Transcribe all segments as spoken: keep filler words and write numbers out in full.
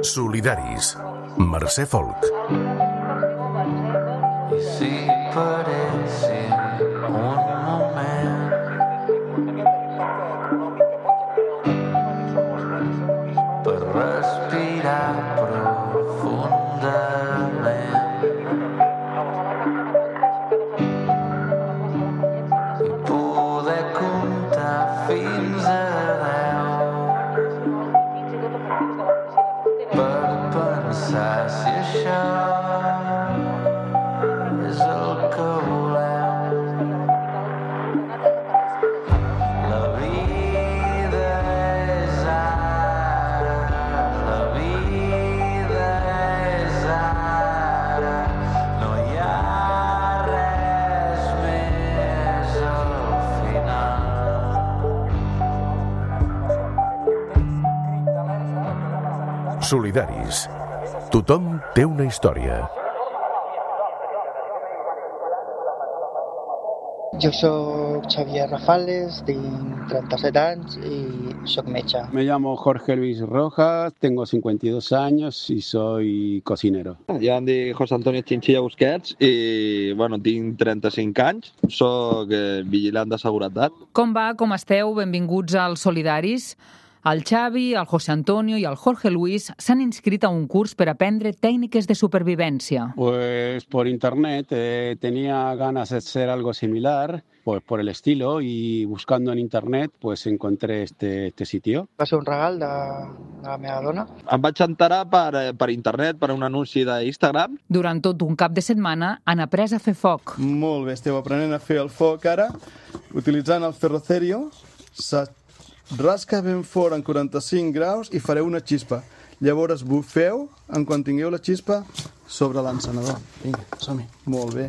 Solidaris. Mercè Folk. Si parecen un moment per respirar profundament i poder comptar fins a deu per pensar si això és el que volem. La vida és ara, la vida és ara, no hi ha res més al final. Solidaris. Tothom té una història. Jo soc Xavier Rafales, tinc trenta-set anys i soc metge. Me llamo Jorge Luis Rojas, tengo cincuenta y dos años y soy cocinero. Jo em dic José Antonio Chinchilla Busquets i bueno, tinc trenta-cinc anys, soc eh, vigilant de seguretat. Com va? Com esteu? Benvinguts als Solidaris. El Xavi, el José Antonio i el Jorge Luis s'han inscrit a un curs per aprendre tècniques de supervivència. Pues por internet eh, tenía ganas de hacer algo similar, pues por el estilo, y buscando en internet pues encontré este, este sitio. Va ser un regal de, de la meva dona. Em vaig enterar per, per internet, per un anunci d'Instagram. Durant tot un cap de setmana han après a fer foc. Molt bé, esteu aprenent a fer el foc ara, utilitzant el ferrocerio. Se rasca ben fort en quaranta-cinc graus i fareu una xispa. Llavors bufeu, en quan tingueu la xispa, sobre l'encenedor. Vinga, som-hi. Molt bé.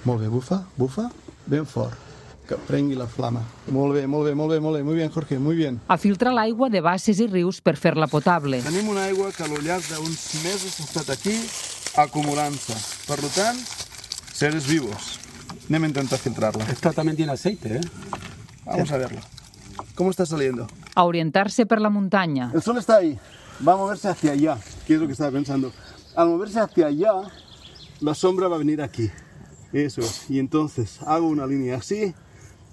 Molt bé, bufa, bufa, ben fort. Que prengui la flama. Molt bé, molt bé, molt bé, molt bé. Muy bien, Jorge, muy bien. A filtrar l'aigua de basses i rius per fer-la potable. Tenim una aigua que al llarg d'uns mesos ha estat aquí acumulant-se. Per tant, seres vivos. Anem a intentar filtrar-la. Esta también tiene aceite, ¿eh? Vamos a verlo. ¿Cómo está saliendo? A orientar-se per la muntanya. El sol está ahí, va a moverse hacia allá, que es lo que estaba pensando. Al moverse hacia allá, la sombra va a venir aquí. Eso es. Y entonces hago una línea así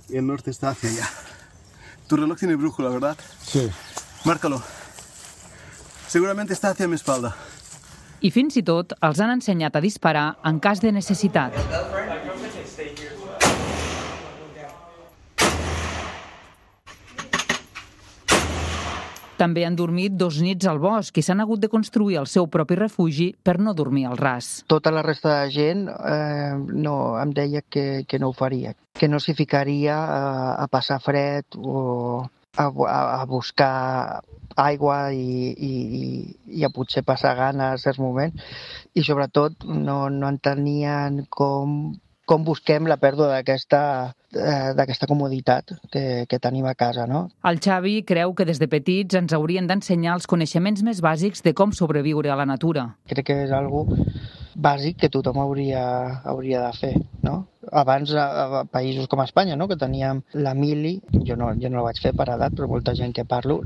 y el norte está hacia allá. Tu reloj tiene brújula, ¿verdad? Sí. Márcalo. Seguramente está hacia mi espalda. I fins i tot els han ensenyat a disparar en cas de necessitat. També han dormit dos nits al bosc i s'han hagut de construir el seu propi refugi per no dormir al ras. Tota la resta de gent eh, no, em deia que, que no ho faria, que no s'hi ficaria a, a passar fred o a, a, a buscar aigua i, i, i a potser passar gana en certs moments, i sobretot no, no entenien com, com busquem la pèrdua d'aquesta eh, d'aquesta comoditat que, que tenim a casa, no? El Xavi creu que des de petits ens haurien d'ensenyar els coneixements més bàsics de com sobreviure a la natura. Crec que és algo bàsic que tothom hauria, hauria de fer, no? Abans, a, a països com Espanya, no?, que teníem la mili, jo no, jo no la vaig fer per edat, però molta gent que parlo,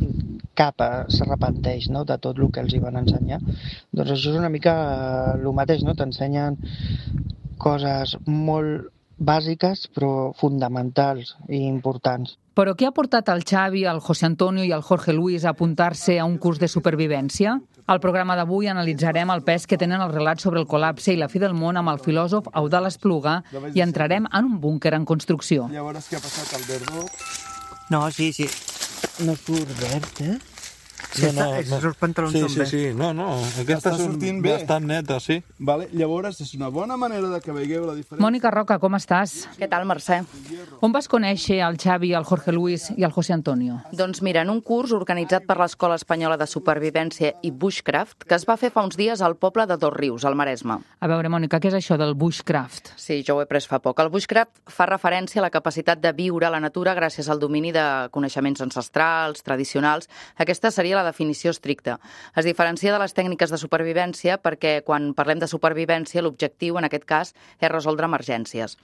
cap s'arrepenteix, no?, de tot el que els hi van ensenyar. Doncs això és una mica el mateix, no?, t'ensenyen coses molt bàsiques però fonamentals i importants. Però què ha portat el Xavi, el José Antonio i el Jorge Luis a apuntar-se a un curs de supervivència? Al programa d'avui analitzarem el pes que tenen els relats sobre el col·lapse i la fi del món amb el filòsof Eudald Espluga i entrarem en un búnquer en construcció. Llavors, què ha passat al verdó? No, sí, sí. No surt verd, eh? Sí, no, no. Els pantalons sí, són sí, bé. sí, no, no, aquesta és un, bastant neta, sí. Vale, llavors és una bona manera de que veieu la diferència. Mònica Roca, com estàs? Què tal, Mercè? On vas conèixer el Xavi, el Jorge Luis i el José Antonio? Doncs mira, en un curs organitzat per l'Escola Espanyola de Supervivència i Bushcraft, que es va fer fa uns dies al poble de Dosrius, al Maresme. A veure, Mònica, què és això del Bushcraft? Sí, jo ho he pres fa poc. El Bushcraft fa referència a la capacitat de viure a la natura gràcies al domini de coneixements ancestrals, tradicionals. Aquesta seria seria la definició estricta. Es diferencia de les tècniques de supervivència perquè quan parlem de supervivència l'objectiu, en aquest cas, és resoldre emergències.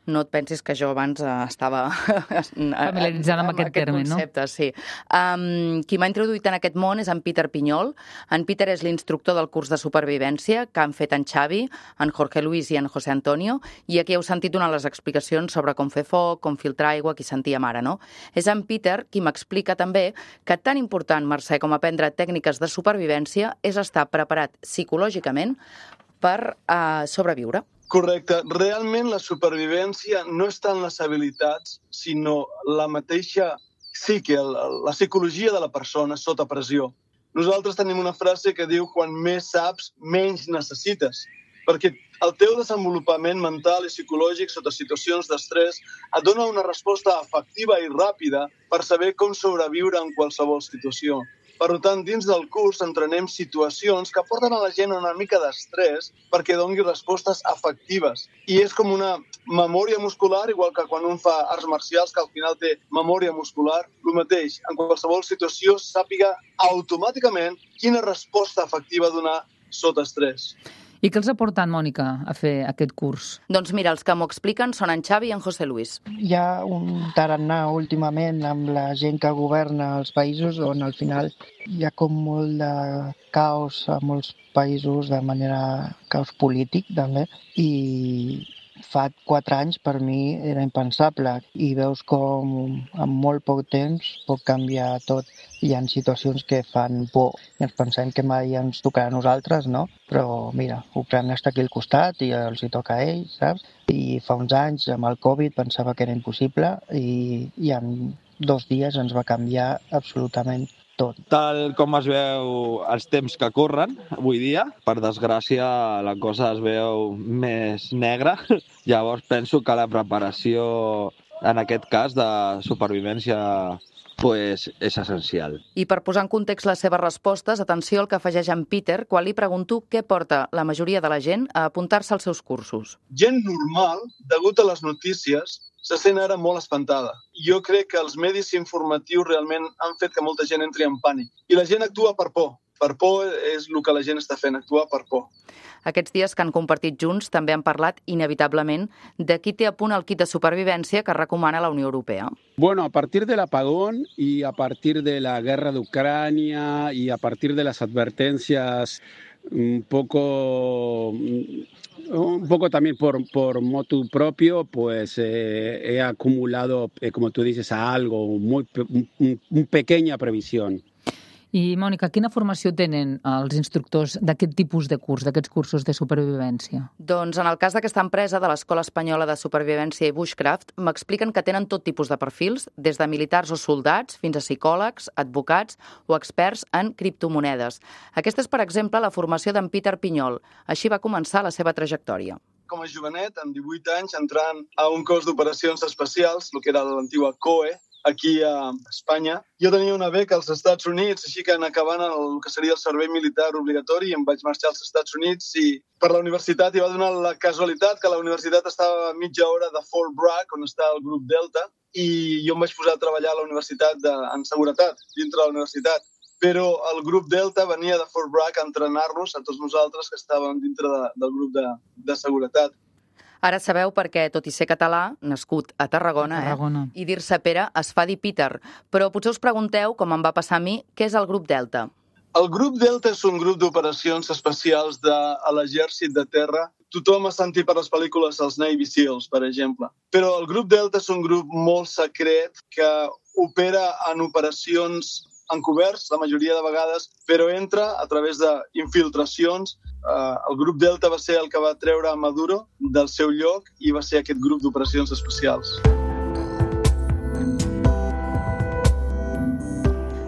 No et pensis que jo abans eh, estava familiaritzada amb, amb aquest terme, concepte, no? Sí. Um, qui m'ha introduït en aquest món és en Peter Pinyol. En Peter és l'instructor del curs de supervivència que han fet en Xavi, en Jorge Luis i en José Antonio, i aquí heu sentit donar les explicacions sobre com fer foc, com filtrar aigua, qui sentíem ara, no? És en Peter qui m'explica també que tan important, Mercè, com aprendre tècniques de supervivència és estar preparat psicològicament per uh, sobreviure. Correcte. Realment la supervivència no està en les habilitats, sinó la mateixa psique, la psicologia de la persona sota pressió. Nosaltres tenim una frase que diu quan més saps, menys necessites, perquè el teu desenvolupament mental i psicològic sota situacions d'estrès et dona una resposta efectiva i ràpida per saber com sobreviure en qualsevol situació. Per tant, dins del curs entrenem situacions que porten a la gent una mica d'estrès perquè doni respostes efectives. I és com una memòria muscular, igual que quan un fa arts marcials, que al final té memòria muscular, el mateix. En qualsevol situació sàpiga automàticament quina resposta efectiva donar sota estrès. I què els ha portat, Mònica, a fer aquest curs? Doncs mira, els que m'ho expliquen són en Xavi i en José Luis. Hi ha un tarannà últimament amb la gent que governa els països on al final hi ha com molt de caos a molts països, de manera caos polític també, i fa quatre anys per mi era impensable i veus com en molt poc temps pot canviar tot. Hi ha situacions que fan por i ens pensem que mai ens tocarà a nosaltres, no? Però mira, Ucrània està aquí al costat i els hi toca a ells, saps? I fa uns anys amb el Covid pensava que era impossible i, i en dos dies ens va canviar absolutament tot. Tal com es veu els temps que corren avui dia, per desgràcia la cosa es veu més negra. Llavors penso que la preparació, en aquest cas de supervivència, pues, és essencial. I per posar en context les seves respostes, atenció al que afegeix en Peter quan li pregunto què porta la majoria de la gent a apuntar-se als seus cursos. Gent normal, degut a les notícies, se sent ara molt espantada. Jo crec que els medis informatius realment han fet que molta gent entri en pànic. I la gent actua per por. Per por és el que la gent està fent, actuar per por. Aquests dies que han compartit junts també han parlat inevitablement de qui té a punt el kit de supervivència que recomana la Unió Europea. Bueno, a partir del apagón y a partir de la guerra de Ucrania y a partir de las advertencias un poco... Un poco también por, por motu propio, pues eh, he acumulado, eh, como tú dices, a algo, muy, un, un pequeña previsión. I, Mònica, quina formació tenen els instructors d'aquest tipus de curs, d'aquests cursos de supervivència? Doncs en el cas d'aquesta empresa de l'Escola Espanyola de Supervivència i Bushcraft m'expliquen que tenen tot tipus de perfils, des de militars o soldats fins a psicòlegs, advocats o experts en criptomonedes. Aquesta és, per exemple, la formació d'en Peter Pinyol. Així va començar la seva trajectòria. Com a jovenet, amb divuit anys, entrant a un cos d'operacions especials, el que era l'antiga C O E, aquí a Espanya. Jo tenia una beca als Estats Units, així que en acabant el que seria el servei militar obligatori em vaig marxar als Estats Units i per la universitat hi va donar la casualitat que la universitat estava a mitja hora de Fort Bragg, on està el grup Delta, i jo em vaig posar a treballar a la universitat de, en seguretat, dintre de la universitat. Però el grup Delta venia de Fort Bragg a entrenar-nos a tots nosaltres que estàvem dintre de, del grup de, de seguretat. Ara sabeu perquè, tot i ser català, nascut a Tarragona, a Tarragona. Eh, i dir-se Pere es fa dir Peter. Però potser us pregunteu, com em va passar a mi, què és el grup Delta? El grup Delta és un grup d'operacions especials de, a l'exèrcit de terra. Tothom ha sentit per les pel·lícules els Navy Seals, per exemple. Però el grup Delta és un grup molt secret que opera en operacions encoberts, la majoria de vegades, però entra a través d'infiltracions. Uh, el grup Delta va ser el que va treure a Maduro del seu lloc i va ser aquest grup d'operacions especials.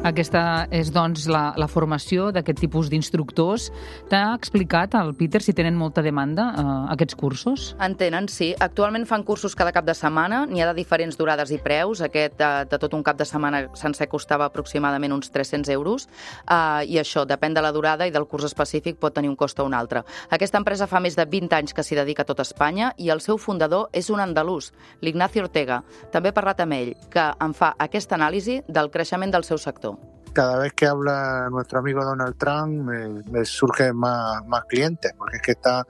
Aquesta és, doncs, la, la formació d'aquest tipus d'instructors. T'ha explicat el Peter si tenen molta demanda a uh, aquests cursos? En tenen, sí. Actualment fan cursos cada cap de setmana. N'hi ha de diferents durades i preus. Aquest de, de tot un cap de setmana sencer costava aproximadament uns tres-cents euros. Uh, I això, depèn de la durada i del curs específic, pot tenir un cost o un altre. Aquesta empresa fa més de vint anys que s'hi dedica a tot Espanya i el seu fundador és un andalús, l'Ignacio Ortega. També he parlat amb ell, que em fa aquesta anàlisi del creixement del seu sector. cada vez que habla nuestro amigo Donald Trump me, me surgen más, más clientes, porque es que está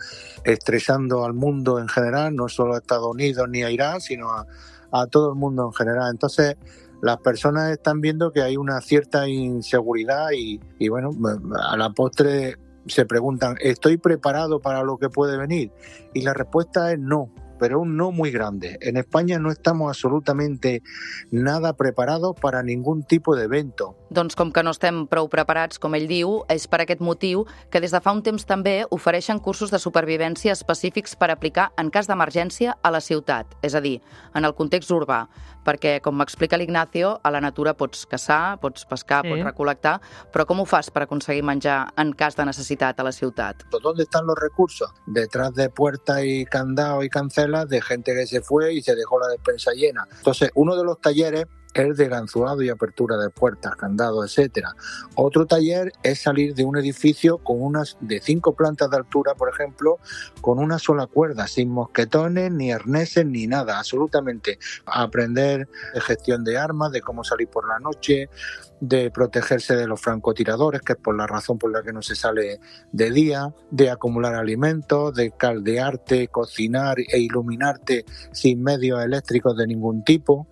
estresando al mundo en general, no solo a Estados Unidos ni a Irán, sino a, a todo el mundo en general. Entonces, las personas están viendo que hay una cierta inseguridad y, y bueno, a la postre se preguntan, ¿estoy preparado para lo que puede venir? Y la respuesta es no, pero un no muy grande. En España no estamos absolutamente nada preparados para ningún tipo de evento. Doncs com que no estem prou preparats, com ell diu, és per aquest motiu que des de fa un temps també ofereixen cursos de supervivència específics per aplicar en cas d'emergència a la ciutat, és a dir, en el context urbà, perquè, com m'explica l'Ignacio, a la natura pots caçar, pots pescar, sí. pots recol·lectar, però com ho fas per aconseguir menjar en cas de necessitat a la ciutat? ¿Dónde están los recursos? Detrás de puertas y candados y cancelas de gente que se fue y se dejó la despensa llena. Entonces, uno de los talleres es de ganzurrado y apertura de puertas, candados, etcétera. Otro taller es salir de un edificio con unas de cinco plantas de altura, por ejemplo, con una sola cuerda, sin mosquetones, ni arneses, ni nada, absolutamente. Aprender de gestión de armas, de cómo salir por la noche, de protegerse de los francotiradores, que es por la razón por la que no se sale de día, de acumular alimentos, de caldearte, cocinar e iluminarte sin medios eléctricos de ningún tipo.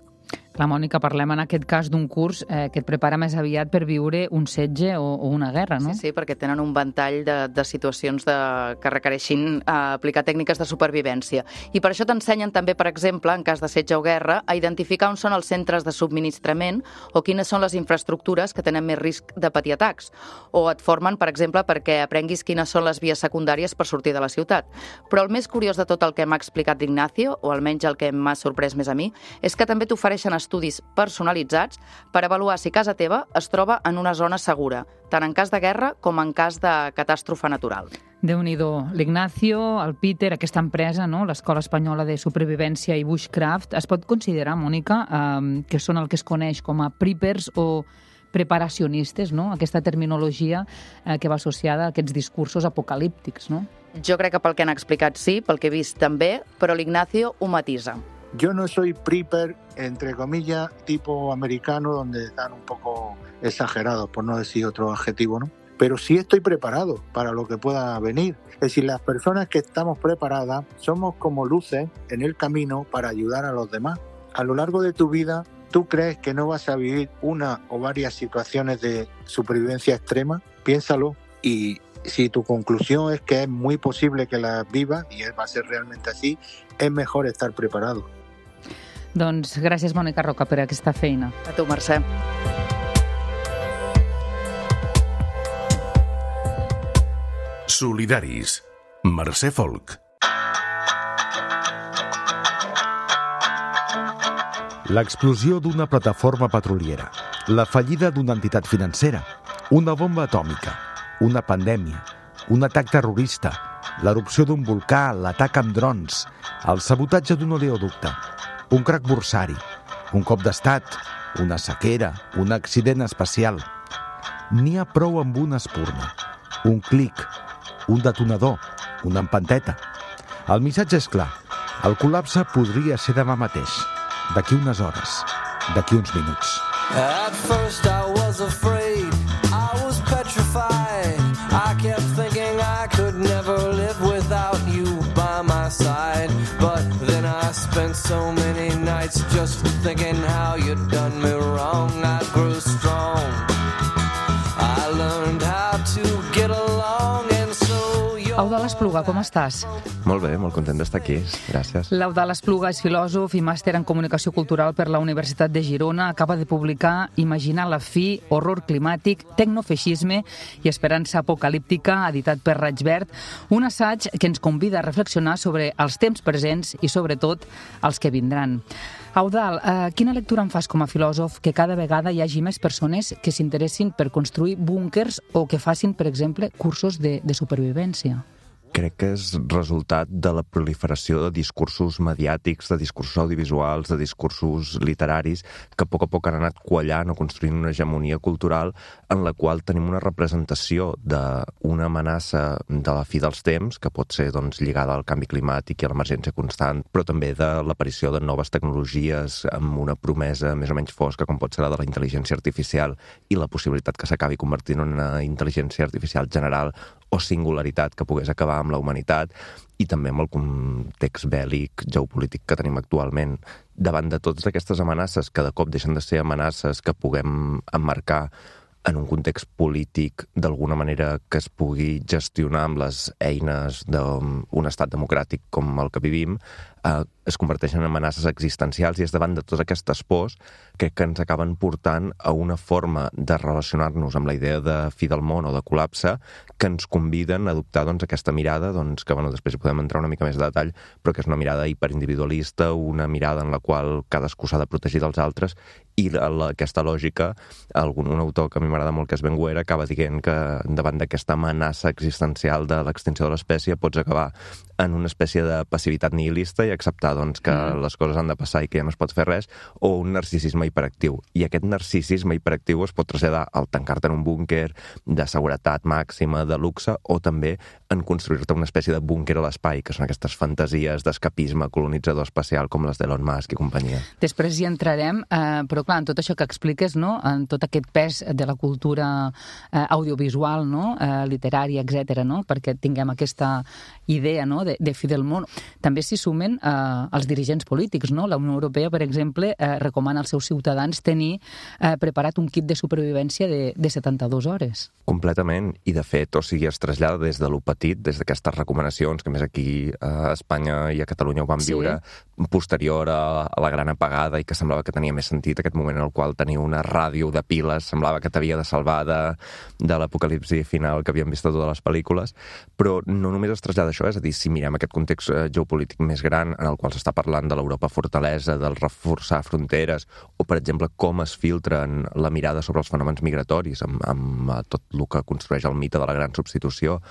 Clar, Mònica, parlem en aquest cas d'un curs eh, que et prepara més aviat per viure un setge o, o una guerra, no? Sí, sí, perquè tenen un ventall de, de situacions de, que requereixin eh, aplicar tècniques de supervivència. I per això t'ensenyen també, per exemple, en cas de setge o guerra, a identificar on són els centres de subministrament o quines són les infraestructures que tenen més risc de patir atacs. O et formen, per exemple, perquè aprenguis quines són les vies secundàries per sortir de la ciutat. Però el més curiós de tot el que m'ha explicat Ignacio, o almenys el que m'ha sorprès més a mi, és que també t'ofereixen estudis personalitzats per avaluar si casa teva es troba en una zona segura, tant en cas de guerra com en cas de catàstrofe natural. Déu-n'hi-do. L'Ignacio, el Peter, aquesta empresa, no? l'Escola Espanyola de Supervivència i Bushcraft, es pot considerar, Mònica, eh, que són el que es coneix com a preppers o preparacionistes, no? Aquesta terminologia eh, que va associada a aquests discursos apocalíptics, no? Jo crec que pel que han explicat sí, pel que he vist també, però l'Ignacio ho matisa. Yo no soy prepper, entre comillas, tipo americano, donde están un poco exagerados, por no decir otro adjetivo, ¿no? Pero sí estoy preparado para lo que pueda venir. Es decir, las personas que estamos preparadas somos como luces en el camino para ayudar a los demás. A lo largo de tu vida, ¿tú crees que no vas a vivir una o varias situaciones de supervivencia extrema? Piénsalo. Y si tu conclusión es que es muy posible que las vivas, y va a ser realmente así, es mejor estar preparado. Doncs gràcies, Mònica Roca, per aquesta feina. A tu, Mercè. Solidaris. Mercè Folk. L'explosió d'una plataforma petroliera, la fallida d'una entitat financera, una bomba atòmica, una pandèmia, un atac terrorista, l'erupció d'un volcà, l'atac amb drons, el sabotatge d'un oleoducte, un crac borsari, un cop d'estat, una sequera, un accident espacial. N'hi ha prou amb una espurna, un clic, un detonador, una empanteta. El missatge és clar, el col·lapse podria ser demà mateix, d'aquí unes hores, d'aquí uns minuts. At first I was afraid, I was petrified. I kept thinking I could never live without you by my side. But then I spent so many nights just thinking how you'd done me wrong. I grew strong, I learned how to get along, and so you're... Eudald Espluga, com estàs? Molt bé, molt content d'estar aquí, gràcies. L'Eudald Espluga és filòsof i màster en comunicació cultural per la Universitat de Girona. Acaba de publicar Imaginar la fi, horror climàtic, tecnofeixisme i esperança apocalíptica, editat per Raig Verd, un assaig que ens convida a reflexionar sobre els temps presents i, sobretot, els que vindran. Eudald, eh, quina lectura en fas com a filòsof que cada vegada hi hagi més persones que s'interessin per construir búnkers o que facin, per exemple, cursos de, de supervivència? crec que és resultat de la proliferació de discursos mediàtics, de discursos audiovisuals, de discursos literaris, que a poc a poc han anat quallant o construint una hegemonia cultural en la qual tenim una representació d'una amenaça de la fi dels temps, que pot ser doncs, lligada al canvi climàtic i a l'emergència constant, però també de l'aparició de noves tecnologies amb una promesa més o menys fosca, com pot ser la de la intel·ligència artificial i la possibilitat que s'acabi convertint en una intel·ligència artificial general o singularitat que pogués acabar amb la humanitat, i també amb el context bèl·lic geopolític que tenim actualment. Davant de totes aquestes amenaces, que de cop deixen de ser amenaces que puguem emmarcar en un context polític d'alguna manera que es pugui gestionar amb les eines d'un estat democràtic com el que vivim, eh, es converteixen en amenaces existencials, i és davant de totes aquestes pors que, que ens acaben portant a una forma de relacionar-nos amb la idea de fi del món o de col·lapse que ens conviden a adoptar doncs, aquesta mirada, doncs, que bueno, després hi podem entrar una mica més de detall, però que és una mirada hiperindividualista, una mirada en la qual cadascú s'ha de protegir dels altres, i la, la, aquesta lògica, algun, un autor que a mi m'agrada molt, que és Ben Guer, acaba dient que davant d'aquesta amenaça existencial de l'extinció de l'espècie pots acabar en una espècie de passivitat nihilista i acceptar doncs, que mm. les coses han de passar i que ja no es pot fer res, o un narcisisme hiperactiu. I aquest narcisisme hiperactiu es pot traslladar al tancar-te en un búnquer de seguretat màxima, de luxe, o també en construir-te una espècie de búnquer a l'espai, que són aquestes fantasies d'escapisme colonitzador espacial com les d'Elon Musk i companyia. Després hi entrarem, eh, però clar, en tot això que expliques, no? En tot aquest pes de la cultura eh, audiovisual, no? eh, literària, etcètera, no? Perquè tinguem aquesta idea, no? de, de fi del món. També s'hi sumen eh, els dirigents polítics, no? La Unió Europea, per exemple, eh, recomana als seus ciutadans tenir eh, preparat un kit de supervivència de, de setanta-dues hores. Completament, i de fet, o sigui, es trasllada des de lo petit, des d'aquestes recomanacions, que més aquí a Espanya i a Catalunya ho vam sí. viure, posterior a, a la gran apagada, i que semblava que tenia més sentit aquest moment en el qual tenia una ràdio de piles, semblava que t'havia de salvar de, de l'apocalipsi final que havíem vist a totes les pel·lícules, però no només es trasllada això, és a dir, si mirem aquest context geopolític més gran, en el qual s'està parlant de l'Europa fortalesa, del reforçar fronteres, o, per exemple, com es filtren la mirada sobre els fenòmens migratoris, amb, amb tot el que construeix el mite de la gran substitució,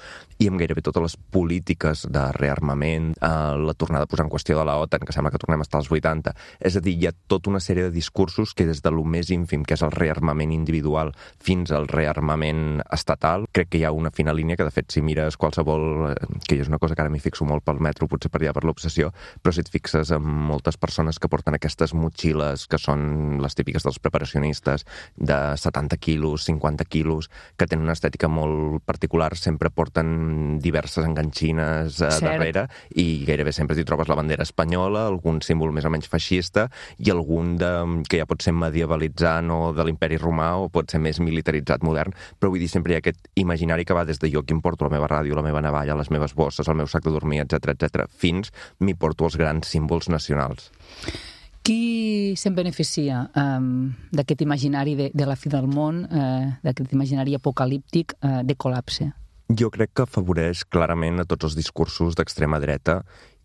i amb gairebé totes les polítiques de rearmament, eh, la tornada a posar en qüestió de la OTAN, que sembla que tornem a estar als vuitanta. És a dir, hi ha tota una sèrie de discursos que des de lo més ínfim, que és el rearmament individual, fins al rearmament estatal, crec que hi ha una fina línia que, de fet, si mires qualsevol, que és una cosa que ara m'hi fixo molt pel metro, potser per allà per l'obsessió, però si et fixes en moltes persones que porten aquestes motxilles, que són les típiques dels preparacionistes, de setanta quilos, cinquanta quilos, que tenen una estètica molt particular, sempre porten diverses enganxines eh, darrere, i gairebé sempre t'hi trobes la bandera espanyola, algun símbol més o menys feixista, i algun de, que ja pot ser medievalitzant o de l'imperi romà, o pot ser més militaritzat modern, però vull dir, sempre hi ha aquest imaginari que va des de jo que em porto la meva ràdio, la meva navalla, les meves bosses, el meu sac de dormir, etcètera, etcètera, fins m'hi porto els grans símbols nacionals. Qui se'n beneficia um, d'aquest imaginari de, de la fi del món, eh, d'aquest imaginari apocalíptic eh, de col·lapse? Jo crec que afavoreix clarament a tots els discursos d'extrema dreta,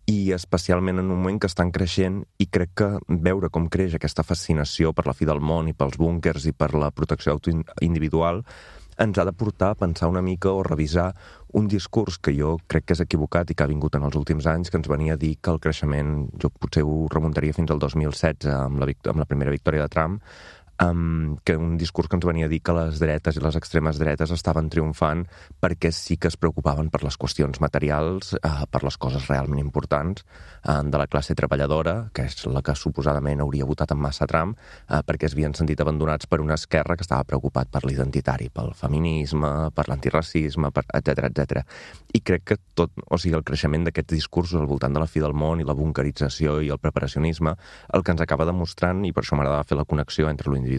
i especialment en un moment que estan creixent, i crec que veure com creix aquesta fascinació per la fi del món i pels búnquers i per la protecció individual ens ha de portar a pensar una mica o revisar un discurs que jo crec que és equivocat i que ha vingut en els últims anys, que ens venia a dir que el creixement, jo potser ho remuntaria fins al dos mil setze amb la, amb la primera victòria de Trump, Um, que un discurs que ens venia a dir que les dretes i les extremes dretes estaven triomfant perquè sí que es preocupaven per les qüestions materials, uh, per les coses realment importants uh, de la classe treballadora, que és la que suposadament hauria votat en massa Trump, uh, perquè es havien sentit abandonats per una esquerra que estava preocupat per l'identitari, pel feminisme, per l'antiracisme, per etcètera, etcètera. I crec que tot, o sigui, el creixement d'aquests discursos al voltant de la fi del món i la bunkerització i el preparacionisme, el que ens acaba demostrant, i per això m'agradava fer la connexió entre l'individual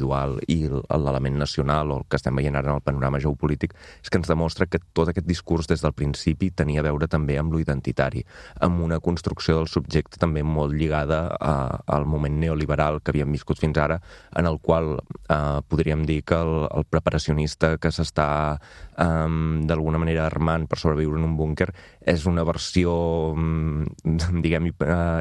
i l'element nacional, o el que estem veient ara en el panorama geopolític, és que ens demostra que tot aquest discurs des del principi tenia a veure també amb lo identitari, amb una construcció del subjecte també molt lligada a, al moment neoliberal que havíem viscut fins ara, en el qual eh, podríem dir que el, el preparacionista que s'està eh, d'alguna manera armant per sobreviure en un búnquer és una versió, diguem,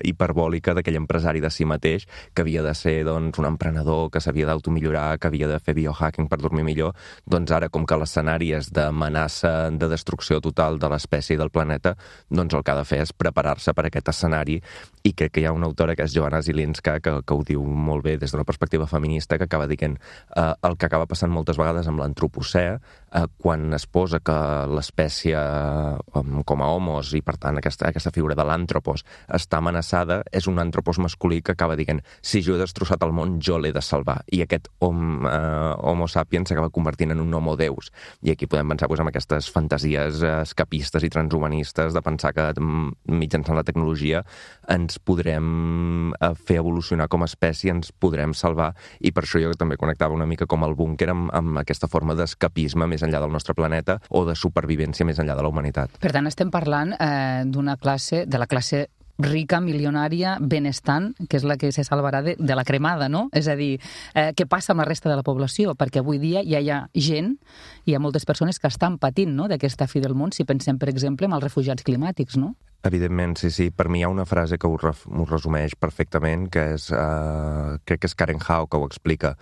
hiperbòlica d'aquell empresari de si mateix, que havia de ser doncs, un emprenedor, que s'havia d'automillorar, que havia de fer biohacking per dormir millor. Doncs ara, com que l'escenari és d'amenaça de destrucció total de l'espècie i del planeta, doncs el que ha de fer és preparar-se per a aquest escenari, i crec que hi ha una autora que és Joanna Zielinska que, que ho diu molt bé des d'una perspectiva feminista, que acaba dient eh, el que acaba passant moltes vegades amb l'antropocè, eh, quan es posa que l'espècie eh, com a homos, i per tant aquesta, aquesta figura de l'àntropos està amenaçada, és un àntropos masculí que acaba dient si jo he destrossat el món, jo l'he de salvar, i aquest hom, eh, homo sapiens s'acaba convertint en un homo deus, i aquí podem pensar doncs, en aquestes fantasies escapistes i transhumanistes de pensar que mitjançant la tecnologia ens podrem fer evolucionar com a espècie, ens podrem salvar, i per això jo també connectava una mica com el búnquer amb, amb aquesta forma d'escapisme més enllà del nostre planeta o de supervivència més enllà de la humanitat. Per tant, estem parlant eh, d'una classe, de la classe rica, milionària, benestant, que és la que se salvarà de, de la cremada, no? És a dir, eh, què passa amb la resta de la població? Perquè avui dia ja hi ha gent, hi ha moltes persones que estan patint, no?, d'aquesta fi del món, si pensem, per exemple, en els refugiats climàtics, no? Evidentment, sí, sí. Per mi hi ha una frase que ho, ref, ho resumeix perfectament, que és, uh, crec que és Karen Hao que ho explica,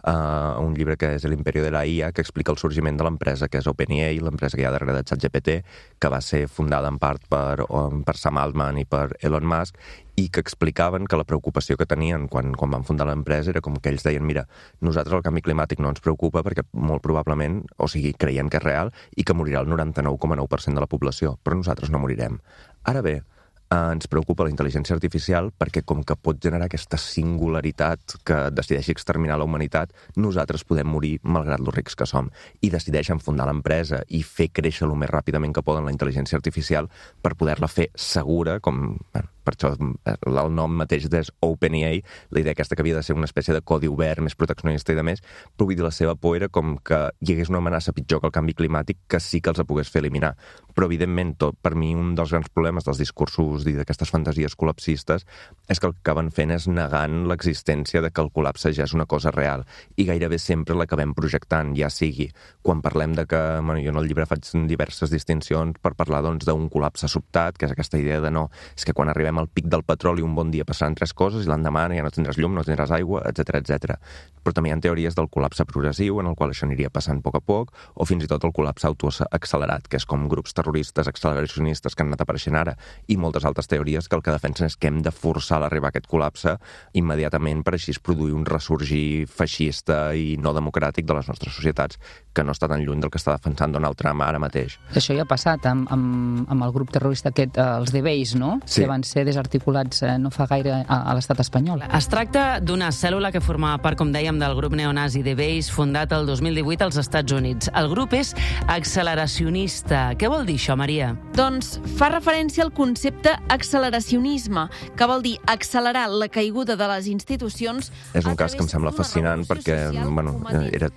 uh, un llibre que és l'Imperio de la I A, que explica el sorgiment de l'empresa que és OpenAI, l'empresa que hi ha darrere de ChatGPT, que va ser fundada en part per, um, per Sam Altman i per Elon Musk, i que explicaven que la preocupació que tenien quan, quan van fundar l'empresa era com que ells deien, mira, nosaltres el canvi climàtic no ens preocupa perquè molt probablement, o sigui, creiem que és real i que morirà el noranta-nou coma nou per cent de la població, però nosaltres no morirem. Ara bé, eh, ens preocupa la intel·ligència artificial perquè com que pot generar aquesta singularitat que decideixi exterminar la humanitat, nosaltres podem morir malgrat lo rics que som, i decideixen fundar l'empresa i fer créixer el més ràpidament que poden la intel·ligència artificial per poder-la fer segura, com... Bueno, per això el nom mateix és OpenAI, la idea aquesta que havia de ser una espècie de codi obert, més proteccionista i de més, però vull dir, la seva por era com que hi hagués una amenaça pitjor que el canvi climàtic que sí que els la pogués fer eliminar. Però, evidentment, tot, per mi, un dels grans problemes dels discursos i d'aquestes fantasies col·lapsistes és que el que acaben fent és negant l'existència de que el col·lapse ja és una cosa real, i gairebé sempre l'acabem projectant, ja sigui quan parlem de que, bueno, jo en el llibre faig diverses distincions per parlar, doncs, d'un col·lapse sobtat, que és aquesta idea de no, és que quan arribem al pic del petroli un bon dia passaran tres coses i l'endemà ja no tindràs llum, no tindràs aigua, etcètera, etcètera. Però també hi ha teories del col·lapse progressiu, en el qual això aniria passant a poc a poc, o fins i tot el col·lapse autoaccelerat, que és com grups terroristes acceleracionistes que han anat apareixent ara, i moltes altres teories que el que defensen és que hem de forçar l'arribar a aquest col·lapse immediatament per així produir un ressorgir feixista i no democràtic de les nostres societats, que no està tan lluny del que està defensant Donald Trump ara mateix. Això ja ha passat amb, amb, amb el grup terrorista aquest, els The Base, no? Sí. Que van ser desarticulats eh, no fa gaire a, a l'estat espanyol. Es tracta d'una cèl·lula que formava part, com dèiem, del grup neonazi The Base, fundat el dos mil divuit als Estats Units. El grup és acceleracionista. Què vol dir això, Maria? Doncs fa referència al concepte acceleracionisme, que vol dir accelerar la caiguda de les institucions. És un cas que em sembla fascinant perquè, bueno, era,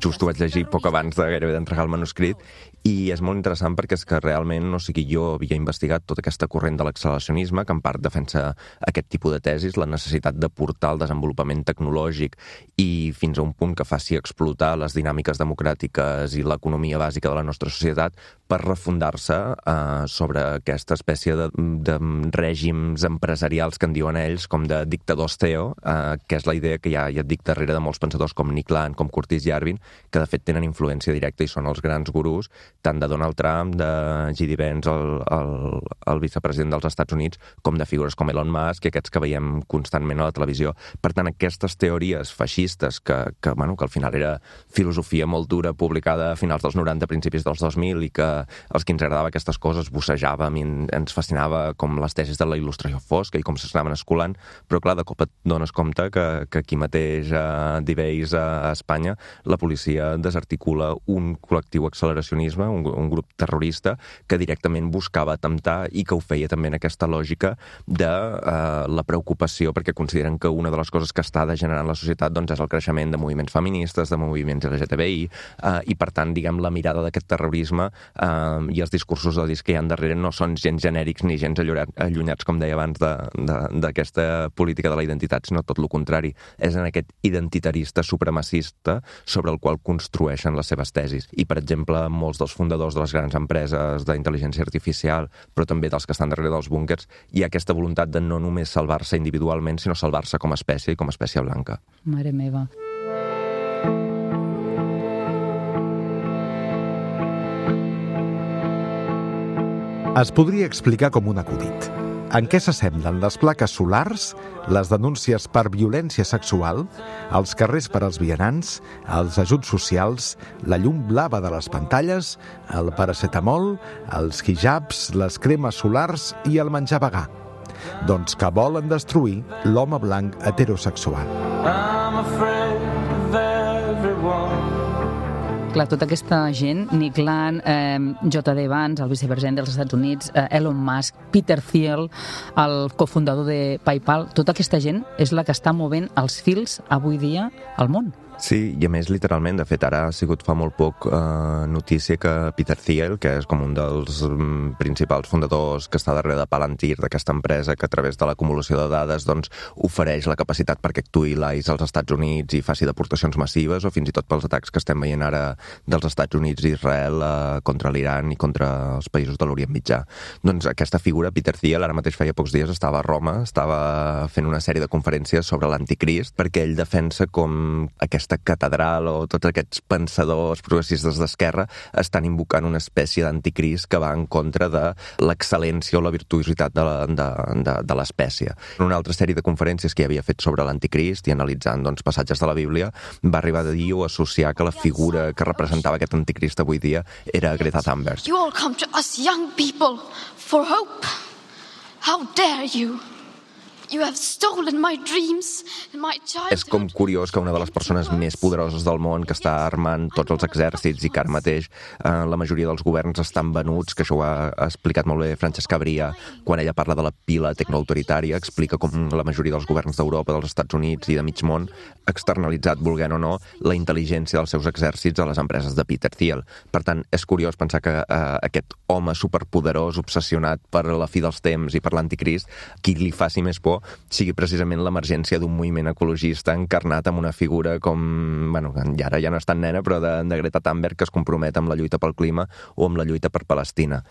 just ho vaig llegir poc abans de gairebé d'entregar el manuscrit, i és molt interessant perquè és que realment, o sigui, jo havia investigat tota aquesta corrent de l'acceleracionisme, que en part defensa aquest tipus de tesis, la necessitat de portar el desenvolupament tecnològic i fins a un punt que faci explotar les dinàmiques democràtiques i l'economia bàsica de la nostra societat per refundar-se eh, sobre aquesta espècie de, de règims empresarials que en diuen ells, com de dictadors Theo, eh, que és la idea que hi ha, ja et dic, darrere de molts pensadors com Nick Land, com Curtis Yarvin, que de fet tenen influència directa i són els grans gurús tant de Donald Trump, de J D Vance, el, el, el vicepresident dels Estats Units, com de figures com Elon Musk i aquests que veiem constantment a la televisió. Per tant, aquestes teories feixistes, que, que, bueno, que al final era filosofia molt dura, publicada a finals dels noranta, principis dels dos mil, i que els que ens agradava aquestes coses bussejàvem i ens fascinava com les tesis de la il·lustració fosca i com s'anaven escolant, però clar, de cop et dones compte que, que aquí mateix a Diveis, a Espanya, la policia desarticula un col·lectiu acceleracionisme, un, un grup terrorista que directament buscava atemptar i que ho feia també en aquesta lògica política de eh, la preocupació, perquè consideren que una de les coses que està degenerant la societat doncs, és el creixement de moviments feministes, de moviments L G T B I, eh, i per tant, diguem, la mirada d'aquest terrorisme eh, i els discursos d'odis que hi ha darrere no són gens genèrics ni gens allunyats, com deia abans, d'aquesta política de la identitat, sinó tot el contrari. És en aquest identitarista supremacista sobre el qual construeixen les seves tesis. I, per exemple, molts dels fundadors de les grans empreses d'intel·ligència artificial, però també dels que estan darrere dels búnquers, hi ha aquesta voluntat de no només salvar-se individualment, sinó salvar-se com a espècie i com a espècie blanca. Mare meva. Es podria explicar com un acudit. En què s'assemblen les plaques solars, les denúncies per violència sexual, els carrers per als vianants, els ajuts socials, la llum blava de les pantalles, el paracetamol, els hijabs, les cremes solars i el menjar vegà? Doncs que volen destruir l'home blanc heterosexual. I'm afraid of everyone. Clar, tota aquesta gent, Nick Land, eh, J D Vance, el vicepresident dels Estats Units, eh, Elon Musk, Peter Thiel, el cofundador de PayPal, tota aquesta gent és la que està movent els fils avui dia al món. Sí, i a més, literalment, de fet, ara ha sigut fa molt poc eh, notícia que Peter Thiel, que és com un dels mm, principals fundadors que està darrere de Palantir, d'aquesta empresa que a través de l'acumulació de dades doncs, ofereix la capacitat perquè actuï l'A I S als Estats Units i faci deportacions massives, o fins i tot pels atacs que estem veient ara dels Estats Units i Israel eh, contra l'Iran i contra els països de l'Orient Mitjà. Doncs aquesta figura, Peter Thiel, ara mateix feia pocs dies estava a Roma, estava fent una sèrie de conferències sobre l'anticrist, perquè ell defensa com aquesta catedral o tots aquests pensadors progressistes d'esquerra estan invocant una espècie d'anticrist que va en contra de l'excel·lència o la virtuositat de, la, de, de, de l'espècie. En una altra sèrie de conferències que havia fet sobre l'anticrist i analitzant doncs, passatges de la Bíblia, va arribar a dir o associar que la figura que representava aquest anticrist avui dia era Greta Thunberg. You all come to us young people for hope. How dare you? You have stolen my dreams and my childhood. És com curiós que una de les persones més poderoses del món, que està armant tots els exèrcits i que ara mateix eh, la majoria dels governs estan venuts, que això ho ha, ha explicat molt bé Francesca Bria, quan ella parla de la pila tecnoautoritària, explica com la majoria dels governs d'Europa, dels Estats Units i de mig món ha externalitzat, volent o no, la intel·ligència dels seus exèrcits a les empreses de Peter Thiel. Per tant, és curiós pensar que eh, aquest home superpoderós, obsessionat per la fi dels temps i per l'anticrist, qui li faci més por sigui precisament l'emergència d'un moviment ecologista encarnat amb una figura com, bueno, ja ara ja no és tan nena, però de, de Greta Thunberg, que es compromet amb la lluita pel clima o amb la lluita per Palestina.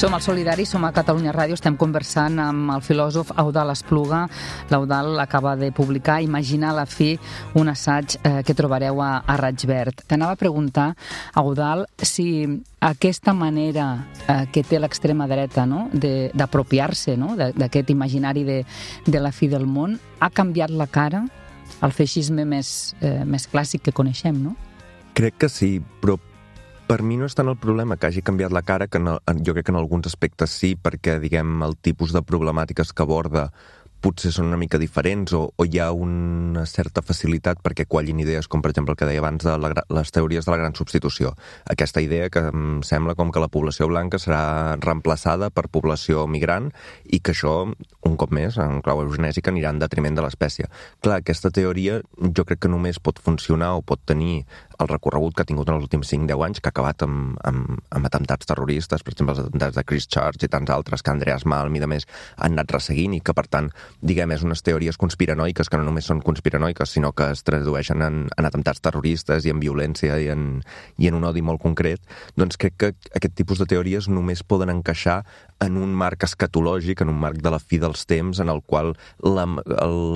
Som al Solidari, som a Catalunya Ràdio, estem conversant amb el filòsof Eudald Espluga. L'Eudald acaba de publicar Imaginar la fi, un assaig eh, que trobareu a, a Raig Verd. T'anava a preguntar, Eudald, si aquesta manera eh, que té l'extrema dreta, no?, d'apropiar-se, no?, d'aquest imaginari de, de la fi del món, ha canviat la cara al feixisme més, eh, més clàssic que coneixem, no? Crec que sí, però per mi no és tant el problema que hagi canviat la cara, que en, jo crec que en alguns aspectes sí, perquè, diguem, el tipus de problemàtiques que aborda potser són una mica diferents o, o hi ha una certa facilitat perquè quallin idees com, per exemple, el que deia abans de la, les teories de la gran substitució. Aquesta idea que em sembla com que la població blanca serà reemplaçada per població migrant i que això, un cop més, en clau eugenèsica, anirà en detriment de l'espècie. Clar, aquesta teoria jo crec que només pot funcionar o pot tenir el recorregut que ha tingut en els últims cinc deu anys, que ha acabat amb, amb, amb atemptats terroristes, per exemple, els atemptats de Christchurch i tants altres que Andreas Malm i de més han anat resseguint i que, per tant, diguem, és unes teories conspiranoiques que no només són conspiranoiques, sinó que es tradueixen en, en atemptats terroristes i en violència i en, i en un odi molt concret, doncs crec que aquest tipus de teories només poden encaixar en un marc escatològic, en un marc de la fi dels temps, en el qual la,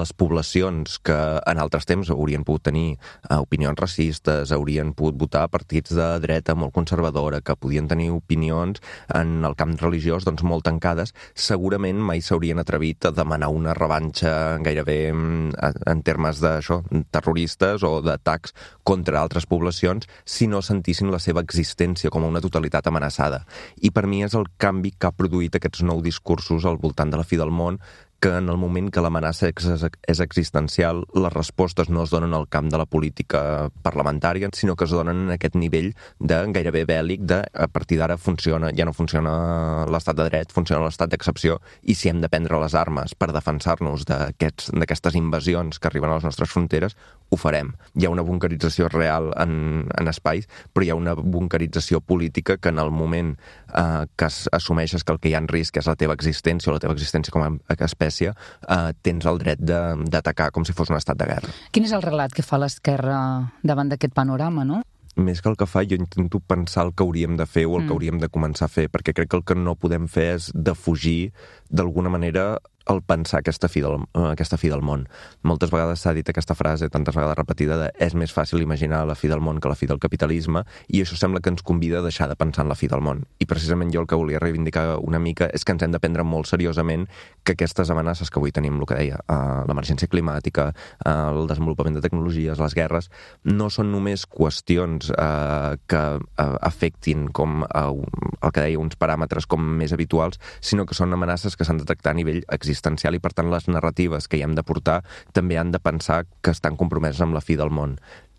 les poblacions que en altres temps haurien pogut tenir uh, opinions racistes, haurien pogut votar partits de dreta molt conservadora, que podien tenir opinions en el camp religiós doncs, molt tancades, segurament mai s'haurien atrevit a demanar una revanxa gairebé en termes d'això, terroristes o d'atacs contra altres poblacions si no sentissin la seva existència com a una totalitat amenaçada. I per mi és el canvi que ha produït aquests nous discursos al voltant de la fi del món, que en el moment que l'amenaça és existencial, les respostes no es donen al camp de la política parlamentària, sinó que es donen en aquest nivell de gairebé bèl·lic, de a partir d'ara funciona, ja no funciona l'estat de dret, funciona l'estat d'excepció, i si hem de prendre les armes per defensar-nos d'aquestes invasions que arriben a les nostres fronteres, ho farem. Hi ha una bunquerització real en, en espais, però hi ha una bunquerització política que en el moment eh, que assumeixes que el que hi ha en risc és la teva existència o la teva existència com a espècie, eh, tens el dret d'atacar com si fos un estat de guerra. Quin és el relat que fa l'esquerra davant d'aquest panorama, no? Més que el que fa, jo intento pensar el que hauríem de fer o el mm. que hauríem de començar a fer, perquè crec que el que no podem fer és defugir d'alguna manera el pensar aquesta fi del, aquesta fi del món. Moltes vegades s'ha dit aquesta frase, tantes vegades repetida, de és més fàcil imaginar la fi del món que la fi del capitalisme, i això sembla que ens convida a deixar de pensar en la fi del món. I precisament jo el que volia reivindicar una mica és que ens hem de prendre molt seriosament que aquestes amenaces que avui tenim, el que deia, l'emergència climàtica, el desenvolupament de tecnologies, les guerres, no són només qüestions eh, que eh, afectin com eh, el que deia uns paràmetres com més habituals, sinó que són amenaces que s'han de tractar a nivell existencial i, per tant, les narratives que hi hem de portar també han de pensar que estan compromeses amb la fi del món.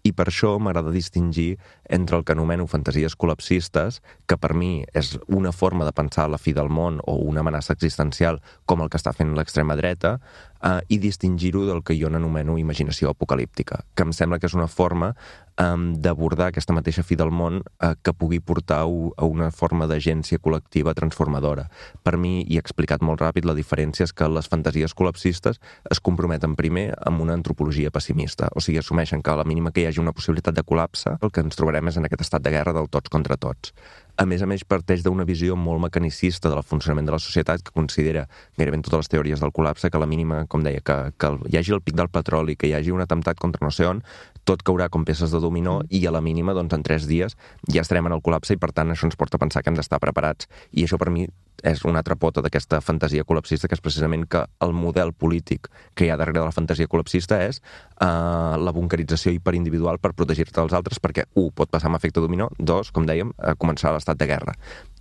I per això m'agrada distingir entre el que anomeno fantasies col·lapsistes, que per mi és una forma de pensar la fi del món o una amenaça existencial com el que està fent l'extrema dreta, eh, i distingir-ho del que jo n'anomeno imaginació apocalíptica, que em sembla que és una forma eh, d'abordar aquesta mateixa fi del món eh, que pugui portar a una forma d'agència col·lectiva transformadora. Per mi, i he explicat molt ràpid, la diferència és que les fantasies col·lapsistes es comprometen primer amb una antropologia pessimista, o sigui, assumeixen que a la mínima que hi hagi una possibilitat de col·lapse, el que ens trobarem és en aquest estat de guerra del tots contra tots. A més a més, parteix d'una visió molt mecanicista del funcionament de la societat, que considera, gairebé en totes les teories del col·lapse, que a la mínima, com deia, que, que hi hagi el pic del petroli, que hi hagi un atemptat contra no sé on, tot caurà com peces de dominó i a la mínima, doncs, en tres dies ja estarem en el col·lapse i, per tant, això ens porta a pensar que hem d'estar preparats. I això, per mi, és una altra pota d'aquesta fantasia col·lapsista, que és precisament que el model polític que hi ha darrere de la fantasia col·lapsista és eh, la bunquerització hiperindividual per protegir-te dels altres, perquè, un, pot passar amb efecte dominó, dos, com dèiem, a començar l'estat de guerra.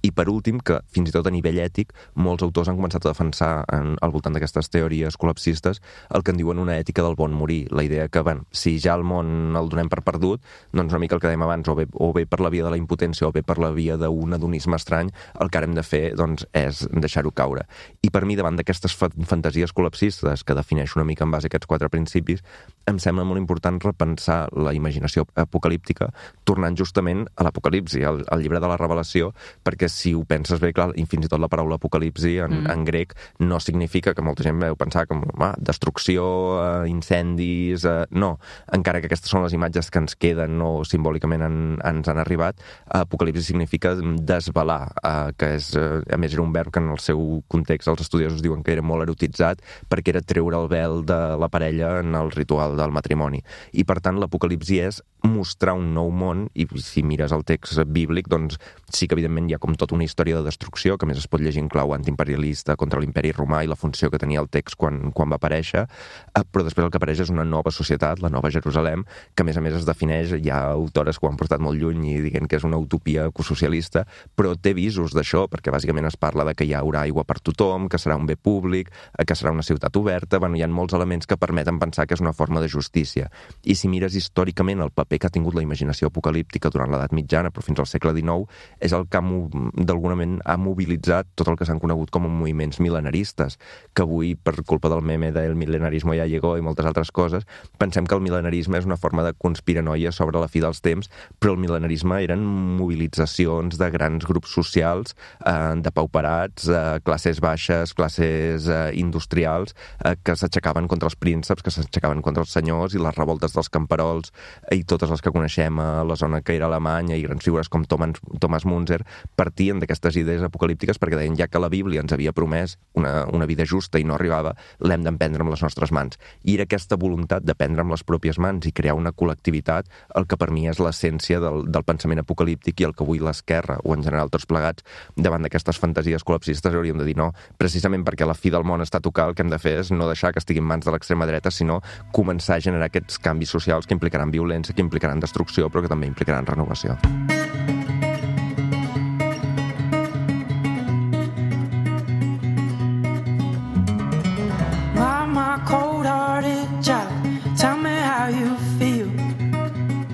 I per últim, que fins i tot a nivell ètic, molts autors han començat a defensar en, al voltant d'aquestes teories col·lapsistes el que en diuen una ètica del bon morir. La idea que, bueno, si ja el món el donem per perdut, doncs una mica el que dèiem abans, o bé, o bé per la via de la impotència o bé per la via d'un hedonisme estrany, el que ara hem de fer doncs, és deixar-ho caure. I per mi, davant d'aquestes fa fantasies col·lapsistes, que defineixo una mica en base a aquests quatre principis, em sembla molt important repensar la imaginació apocalíptica, tornant justament a l'Apocalipsi, al, al llibre de la Revelació, perquè si ho penses bé, clar, i fins i tot la paraula apocalipsi en, mm. en grec no significa, que molta gent veu pensar com ah, destrucció, eh, incendis... Eh, no, encara que aquestes són les imatges que ens queden o simbòlicament en, ens han arribat, apocalipsi significa desvelar, eh, que és, eh, a més era un verb que en el seu context els estudiosos diuen que era molt erotitzat perquè era treure el vel de la parella en el ritual del matrimoni. I per tant l'apocalipsi és mostrar un nou món, i si mires el text bíblic, doncs sí que evidentment hi ha com tota una història de destrucció, que més es pot llegir en clau antiimperialista contra l'imperi romà i la funció que tenia el text quan, quan va aparèixer, però després el que apareix és una nova societat, la nova Jerusalem, que a més a més es defineix, hi ha autores que ho han portat molt lluny i diguen que és una utopia ecosocialista, però té visos d'això, perquè bàsicament es parla de que hi haurà aigua per tothom, que serà un bé públic, que serà una ciutat oberta, bueno, hi ha molts elements que permeten pensar que és una forma de justícia. I si mires històricament el paper que ha tingut la imaginació apocalíptica durant l'edat mitjana, però fins al segle dinou, és el que d'alguna manera ha mobilitzat tot el que s'han conegut com moviments mil·lenaristes, que avui, per culpa del meme del mil·lenarismo ya llegó i moltes altres coses, pensem que el mil·lenarisme és una forma de conspiranoia sobre la fi dels temps, però el mil·lenarisme eren mobilitzacions de grans grups socials, eh, de pau depauperats, eh, classes baixes, classes eh, industrials, eh, que s'aixecaven contra els prínceps, que s'aixecaven contra els senyors, i les revoltes dels camperols, i totes les que coneixem a la zona que era alemanya, i grans figures com Thomas, Thomas Munzer, partien d'aquestes idees apocalíptiques perquè deien, ja que la Bíblia ens havia promès una, una vida justa i no arribava, l'hem d'emprendre amb les nostres mans. I era aquesta voluntat de prendre amb les pròpies mans i crear una col·lectivitat el que per mi és l'essència del, del pensament apocalíptic, i el que avui l'esquerra, o en general tots plegats, davant d'aquestes fantasies col·lapsistes hauríem de dir no, precisament perquè la fi del món està a tocar, el que hem de fer és no deixar que estigui en mans de l'extrema dreta, sinó començar a generar aquests canvis socials que implicaran violència, que implicaran destrucció, però que també implicaran renovació.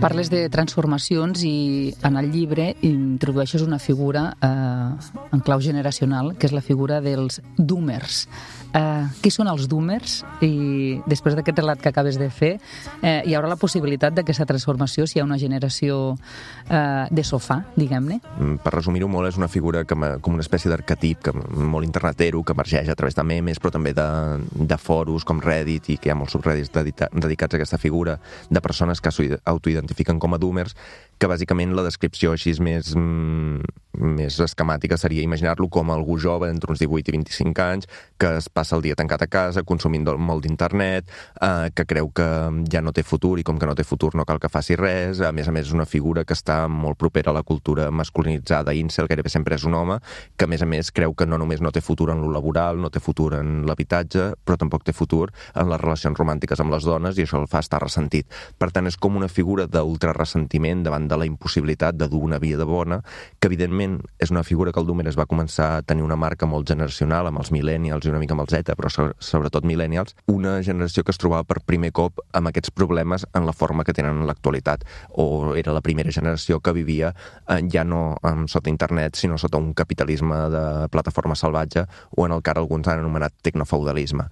Parles de transformacions i en el llibre introdueixes una figura eh, en clau generacional, que és la figura dels doomers. Eh, qui són els doomers? I després d'aquest relat que acabes de fer, eh, hi haurà la possibilitat d'aquesta transformació si hi ha una generació eh, de sofà, diguem-ne? Per resumir-ho molt, és una figura que, com una espècie d'arquetip que, molt internetero, que emergeix a través de memes, però també de, de foros com Reddit, i que hi ha molts subreddits dedicats a aquesta figura, de persones que s'autoidentifiquen com a doomers, que bàsicament la descripció així més, més esquemàtica seria imaginar-lo com algú jove entre uns divuit i vint-i-cinc anys, que es passa el dia tancat a casa, consumint molt d'internet, eh, que creu que ja no té futur, i com que no té futur no cal que faci res. A més a més és una figura que està molt propera a la cultura masculinitzada incel, gairebé sempre és un home, que a més a més creu que no només no té futur en lo laboral, no té futur en l'habitatge, però tampoc té futur en les relacions romàntiques amb les dones, i això el fa estar ressentit. Per tant, és com una figura d'ultraressentiment davant de la impossibilitat de dur una vida bona, que evidentment és una figura que el Doomer es va començar a tenir una marca molt generacional amb els millennials i una mica amb els Z, però sobretot millennials, una generació que es trobava per primer cop amb aquests problemes en la forma que tenen en l'actualitat, o era la primera generació que vivia eh, ja no eh, sota internet, sinó sota un capitalisme de plataforma salvatge, o en el que ara alguns han anomenat tecnofeudalisme.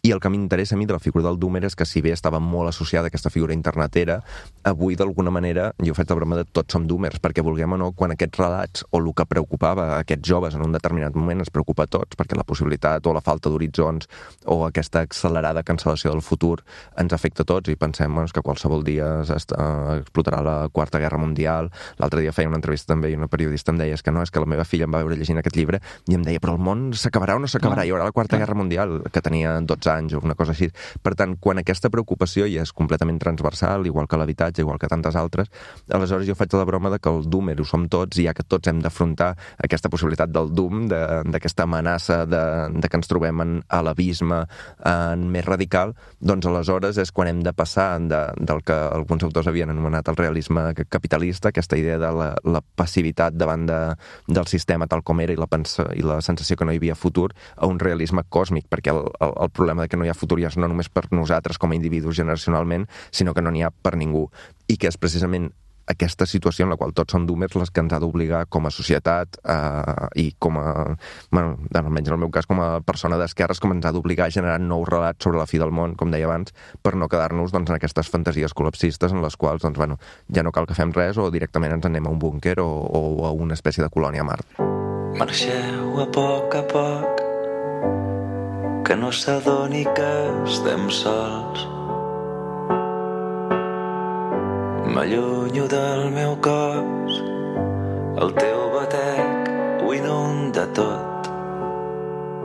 I el que m'interessa a mi de la figura del Doomer és que, si bé estava molt associada a aquesta figura internetera, avui d'alguna manera, jo faig la broma de tots som Doomers, perquè vulguem o no, quan aquests relats o el que preocupava a aquests joves en un determinat moment ens preocupa a tots, perquè la possibilitat o la falta d'horitzons o aquesta accelerada cancel·lació del futur ens afecta a tots, i pensem doncs, que qualsevol dia explotarà la Quarta Guerra Mundial. L'altre dia feia una entrevista també i una periodista em deia que no, és que la meva filla em va veure llegint aquest llibre i em deia, però el món s'acabarà o no s'acabarà? Hi haurà la Quarta Guerra Mundial, que tenia dotze anys o una cosa així. Per tant, quan aquesta preocupació ja és completament transversal, igual que l'habitatge, igual que tantes altres, aleshores jo faig la broma de que el Doomer ho som tots, i ja que tots hem d'afrontar aquesta possibilitat del Doom, d'aquesta amenaça de, de que ens trobem en, a l'abisme en més radical, doncs aleshores és quan hem de passar de, del que alguns autors havien anomenat el realisme capitalista, aquesta idea de la, la passivitat davant de, del sistema tal com era i la, pensa, i la sensació que no hi havia futur, a un realisme còsmic, perquè el, el, el problema de que no hi ha futur ja és no només per nosaltres com a individus generacionalment, sinó que no n'hi ha per ningú, i que és precisament aquesta situació en la qual tots som doomers les que ens ha d'obligar com a societat eh, i com a, bueno, almenys en el meu cas com a persona d'esquerres, com ens ha d'obligar a generar nous relats sobre la fi del món, com deia abans, per no quedar-nos doncs, en aquestes fantasies col·lapsistes en les quals doncs, bueno, ja no cal que fem res o directament ens anem a un búnquer o, o a una espècie de colònia a Mart. Marxeu a poc a poc, que no s'adoni que estem sols. M'allunyo del meu cos, el teu batec ho inunda tot.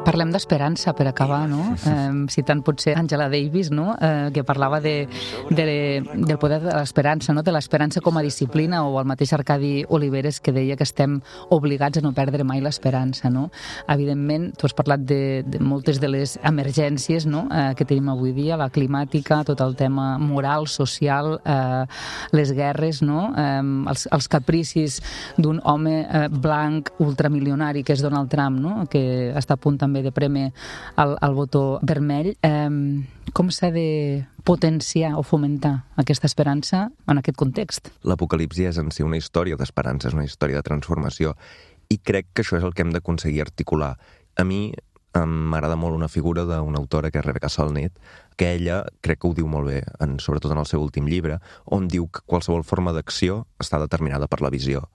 Parlem d'esperança per acabar, no? Eh, citant potser Angela Davis, no? Eh, que parlava de, de, del poder de l'esperança, no? De l'esperança com a disciplina, o el mateix Arcadi Oliveres que deia que estem obligats a no perdre mai l'esperança, no? Evidentment, tu has parlat de, de moltes de les emergències, no? eh, que tenim avui dia, la climàtica, tot el tema moral, social, eh, les guerres, no? Eh, els, els capricis d'un home eh, blanc ultramilionari que és Donald Trump, no? Que està a punt també de prémer el, el botó vermell. Eh, com s'ha de potenciar o fomentar aquesta esperança en aquest context? L'apocalipsi és en si una història d'esperança, és una història de transformació, i crec que això és el que hem d'aconseguir articular. A mi m'agrada molt una figura d'una autora que és Rebecca Solnit, que ella crec que ho diu molt bé, en, sobretot en el seu últim llibre, on diu que qualsevol forma d'acció està determinada per la visió.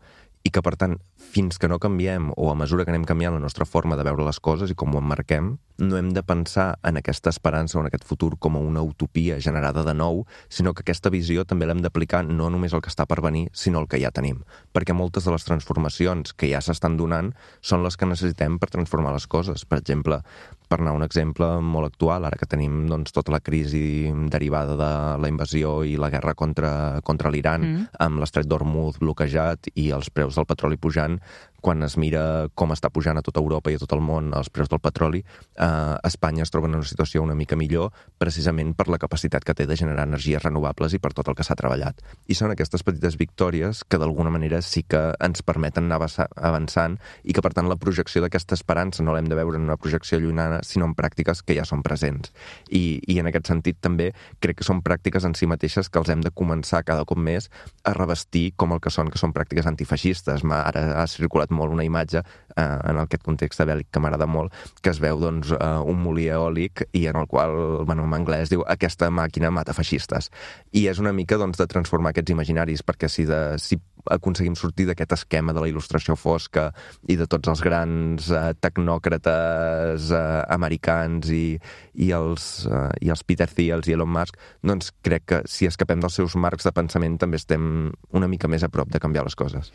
i que, per tant, fins que no canviem, o a mesura que anem canviant la nostra forma de veure les coses i com ho emmarquem, no hem de pensar en aquesta esperança o en aquest futur com a una utopia generada de nou, sinó que aquesta visió també l'hem d'aplicar no només al que està per venir, sinó al que ja tenim. Perquè moltes de les transformacions que ja s'estan donant són les que necessitem per transformar les coses. Per exemple, per anar a un exemple molt actual, ara que tenim doncs, tota la crisi derivada de la invasió i la guerra contra, contra l'Iran, mm. amb l'estret d'Hormuz bloquejat i els preus del petroli pujant, quan es mira com està pujant a tota Europa i a tot el món els preus del petroli, eh, Espanya es troba en una situació una mica millor precisament per la capacitat que té de generar energies renovables i per tot el que s'ha treballat. I són aquestes petites victòries que d'alguna manera sí que ens permeten anar avançant i que per tant la projecció d'aquesta esperança no l'hem de veure en una projecció llunyana, sinó en pràctiques que ja són presents. I, i en aquest sentit també crec que són pràctiques en si mateixes que els hem de començar cada cop més a revestir com el que són, que són pràctiques antifeixistes. Ara ha circulat molt una imatge eh, en aquest context bèl·lic que m'agrada molt, que es veu doncs, eh, un molí eòlic i en el qual, bueno, en anglès diu aquesta màquina mata feixistes. I és una mica doncs, de transformar aquests imaginaris, perquè si, de, si aconseguim sortir d'aquest esquema de la il·lustració fosca i de tots els grans eh, tecnòcrates eh, americans i, i, els, eh, i els Peter Thiels i Elon Musk, doncs crec que si escapem dels seus marcs de pensament també estem una mica més a prop de canviar les coses.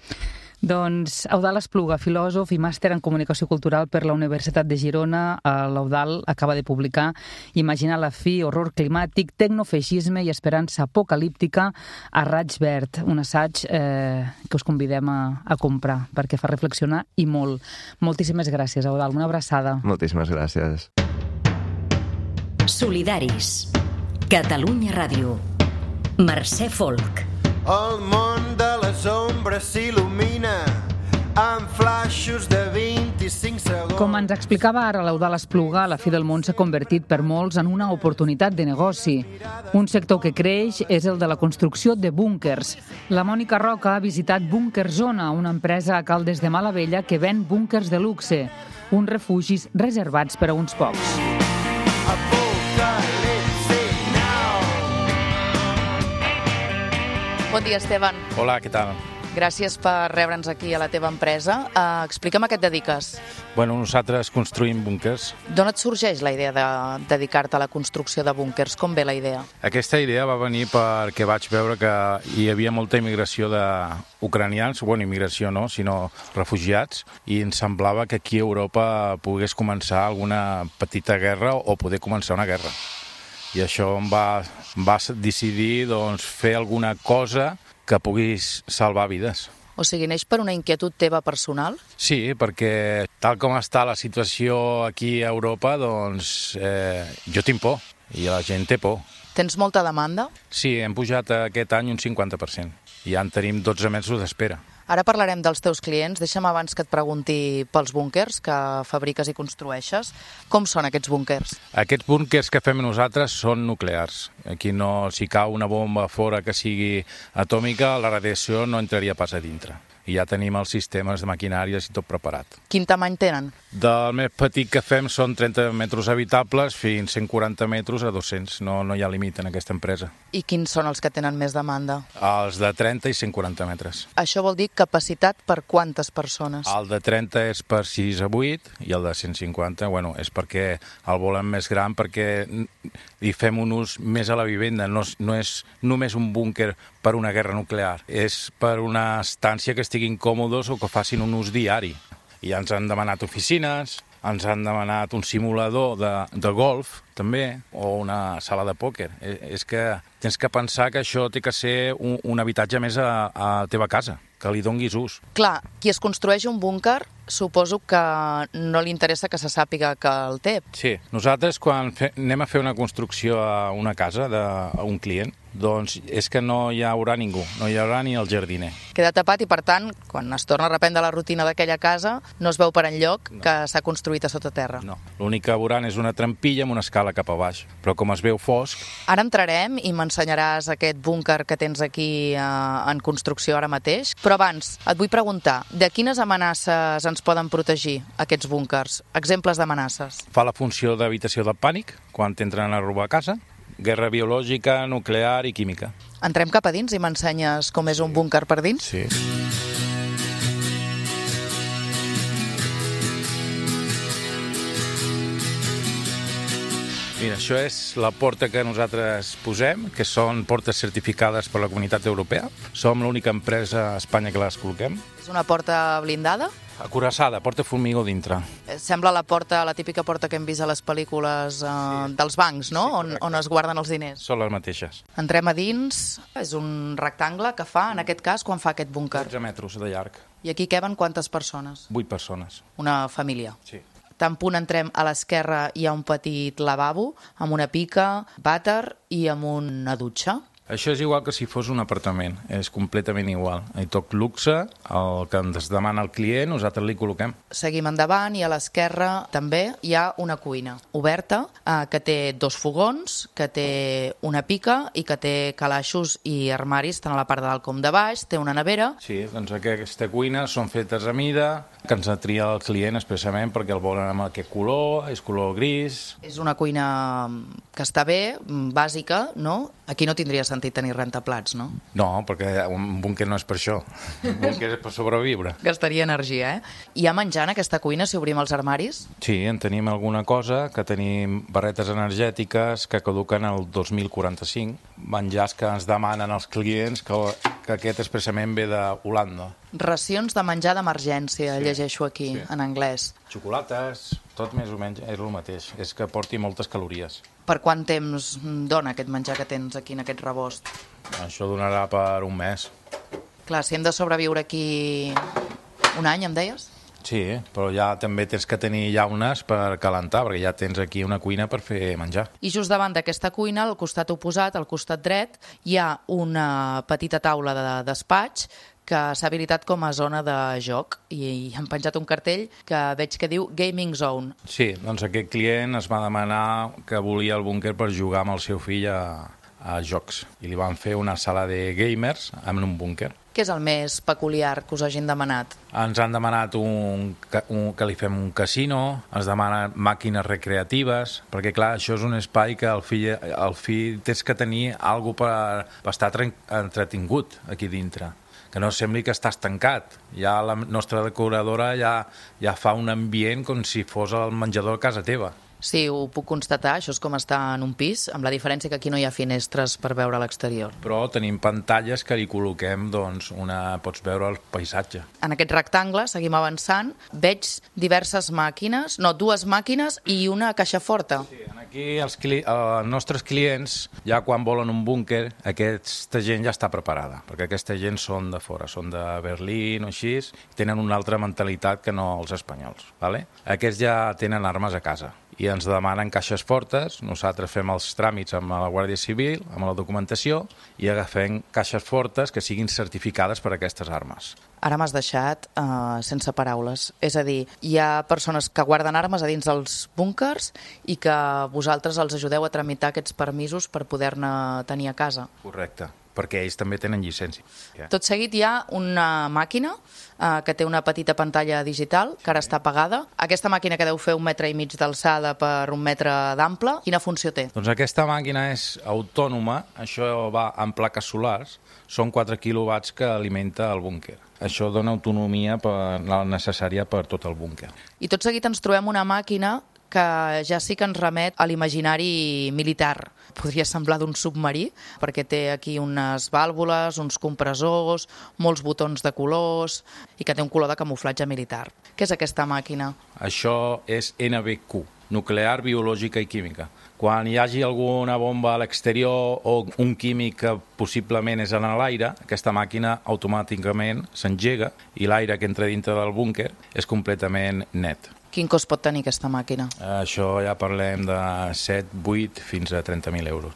Doncs Eudald Espluga, filòsof i màster en comunicació cultural per la Universitat de Girona. L'Eudald acaba de publicar Imaginar la fi, horror climàtic, tecnofeixisme i esperança apocalíptica a raig verd, un assaig eh, que us convidem a, a comprar perquè fa reflexionar i molt. Moltíssimes gràcies, Eudald. Una abraçada. Moltíssimes gràcies. Solidaris. Catalunya Ràdio. Mercè Folk. El món de les ombres s'il·lumina amb flaixos de vint-i-cinc segons. Com ens explicava ara l'Eudald Espluga, la fi del món s'ha convertit per molts en una oportunitat de negoci. Un sector que creix és el de la construcció de búnkers. La Mònica Roca ha visitat Búnker Zona, una empresa a Caldes de Malavella que ven búnkers de luxe, uns refugis reservats per a uns pocs. Bon dia, Esteban. Hola, què tal? Gràcies per rebre'ns aquí a la teva empresa. Uh, explica'm a què et dediques. Bueno, nosaltres construïm búnkers. D'on et sorgeix la idea de dedicar-te a la construcció de búnkers? Com ve la idea? Aquesta idea va venir perquè vaig veure que hi havia molta immigració d'ucranians, bueno, immigració no, sinó refugiats, i em semblava que aquí a Europa pogués començar alguna petita guerra o poder començar una guerra. I això em va, va decidir doncs, fer alguna cosa que puguis salvar vides. O sigui, neix per una inquietud teva personal? Sí, perquè tal com està la situació aquí a Europa, doncs eh, jo tinc por i la gent té por. Tens molta demanda? Sí, hem pujat aquest any un cinquanta per cent. Ja en tenim dotze mesos d'espera. Ara parlarem dels teus clients. Deixa'm abans que et pregunti pels búnkers que fabriques i construeixes. Com són aquests búnkers? Aquests búnkers que fem nosaltres són nuclears. Aquí no, si cau una bomba fora que sigui atòmica, la radiació no entraria pas a dintre. I ja tenim els sistemes de maquinàries i tot preparat. Quin tamany tenen? Del més petit que fem són trenta metres habitables fins cent quaranta metres a dos-cents. No, no hi ha límit en aquesta empresa. I quins són els que tenen més demanda? Els de trenta i cent quaranta metres. Això vol dir capacitat per quantes persones? El de trenta és per sis a vuit i el de cent cinquanta, bueno, és perquè el volem més gran, perquè hi fem un ús més a la vivenda. No, no és només un búnquer per una guerra nuclear, és per una estància que estiguin còmodes o que facin un ús diari. I ens han demanat oficines, ens han demanat un simulador de, de golf, també, o una sala de pòquer. És que tens que pensar que això té que ser un, un habitatge més a, a la teva casa, que li donguis ús. Clar, qui es construeix un búnquer, suposo que no li interessa que se sàpiga que el té. Sí, nosaltres quan fe, anem a fer una construcció a una casa d'un client, doncs és que no hi haurà ningú, no hi haurà ni el jardiner. Queda tapat i, per tant, quan es torna a reprendre la rutina d'aquella casa, no es veu per enlloc no. que s'ha construït a sota terra. No, l'únic que veuran és una trampilla amb una escala cap a baix, però com es veu fosc... Ara entrarem i m'ensenyaràs aquest búnquer que tens aquí eh, en construcció ara mateix, però abans et vull preguntar, de quines amenaces ens poden protegir aquests búnquers? Exemples d'amenaces. Fa la funció d'habitació del pànic, quan t'entren a robar a casa, guerra biològica, nuclear i química. Entrem cap a dins i m'ensenyes com és un búnquer per dins? Sí. Mira, això és la porta que nosaltres posem, que són portes certificades per la Comunitat Europea. Som l'única empresa a Espanya que les col·loquem. És una porta blindada? Acuraçada, porta formigó dintre. Sembla la porta, la típica porta que hem vist a les pel·lícules eh, sí. dels bancs, no? Sí, on, on es guarden els diners. Són les mateixes. Entrem a dins, és un rectangle que fa, en aquest cas, quan fa aquest búnquer? dotze metres de llarg. I aquí queben quantes persones? vuit persones. Una família? Sí. Tan punt entrem a l'esquerra hi ha un petit lavabo amb una pica, vàter i amb una dutxa. Això és igual que si fos un apartament, és completament igual. Hi tot luxe, el que ens demana el client, nosaltres li col·loquem. Seguim endavant i a l'esquerra també hi ha una cuina oberta eh, que té dos fogons, que té una pica i que té calaixos i armaris tant a la part de dalt com de baix, té una nevera. Sí, doncs aquesta cuina són fetes a mida, que ens tria el client expressament perquè el volen amb aquest color, és color gris. És una cuina que està bé, bàsica, no? Aquí no tindria sentit tenir rentaplats, no? No, perquè un búnquer no és per això. Un búnquer és per sobreviure. Gastaria energia, eh? Hi ha menjar en aquesta cuina si obrim els armaris? Sí, en tenim alguna cosa, que tenim barretes energètiques que caduquen el dos mil quaranta-cinc, menjars que ens demanen els clients, que, que aquest expressament ve d'Holanda. Racions de menjar d'emergència, sí, llegeixo aquí, sí, en anglès. Xocolates, tot més o menys és el mateix, és que porti moltes calories. Per quant temps dona aquest menjar que tens aquí en aquest rebost? Això donarà per un mes. Clar, si hem de sobreviure aquí un any, em deies? Sí, però ja també tens que tenir llaunes per calentar, perquè ja tens aquí una cuina per fer menjar. I just davant d'aquesta cuina, al costat oposat, al costat dret, hi ha una petita taula de despatx que s'ha habilitat com a zona de joc i han penjat un cartell que veig que diu Gaming Zone. Sí, doncs aquest client es va demanar que volia el búnquer per jugar amb el seu fill a, a jocs i li van fer una sala de gamers en un búnquer. Què és el més peculiar que us hagin demanat? Ens han demanat un, un, que li fem un casino, ens demanen màquines recreatives, perquè clar, això és un espai que el fill, el fill tens que tenir alguna cosa per, per estar entretingut aquí dintre, que no sembli que estàs tancat. Ja la nostra decoradora ja, ja fa un ambient com si fos el menjador a casa teva. Sí, ho puc constatar, això és com estar en un pis, amb la diferència que aquí no hi ha finestres per veure a l'exterior. Però tenim pantalles que li col·loquem, doncs, una, pots veure el paisatge. En aquest rectangle, seguim avançant, veig diverses màquines, no, dues màquines i una caixa forta. Sí, aquí els, cli els nostres clients, ja quan volen un búnquer, aquesta gent ja està preparada, perquè aquesta gent són de fora, són de Berlín o així, tenen una altra mentalitat que no els espanyols. Vale? Aquests ja tenen armes a casa i ens demanen caixes fortes, nosaltres fem els tràmits amb la Guàrdia Civil, amb la documentació, i agafem caixes fortes que siguin certificades per a aquestes armes. Ara m'has deixat uh, sense paraules. És a dir, hi ha persones que guarden armes a dins dels búnkers i que vosaltres els ajudeu a tramitar aquests permisos per poder-ne tenir a casa. Correcte, perquè ells també tenen llicència. Tot seguit hi ha una màquina eh, que té una petita pantalla digital que ara està apagada. Aquesta màquina que deu fer un metre i mig d'alçada per un metre d'ample, quina funció té? Doncs aquesta màquina és autònoma, això va amb plaques solars, són quatre quilowatts que alimenta el búnquer. Això dona autonomia per, la necessària per tot el búnquer. I tot seguit ens trobem una màquina que ja sí que ens remet a l'imaginari militar. Podria semblar d'un submarí, perquè té aquí unes vàlvules, uns compressors, molts botons de colors i que té un color de camuflatge militar. Què és aquesta màquina? Això és N B Q, nuclear, biològica i química. Quan hi hagi alguna bomba a l'exterior o un químic que possiblement és en l'aire, aquesta màquina automàticament s'engega i l'aire que entra dintre del búnquer és completament net. Quin cost pot tenir aquesta màquina? Això ja parlem de set, vuit fins a trenta mil euros.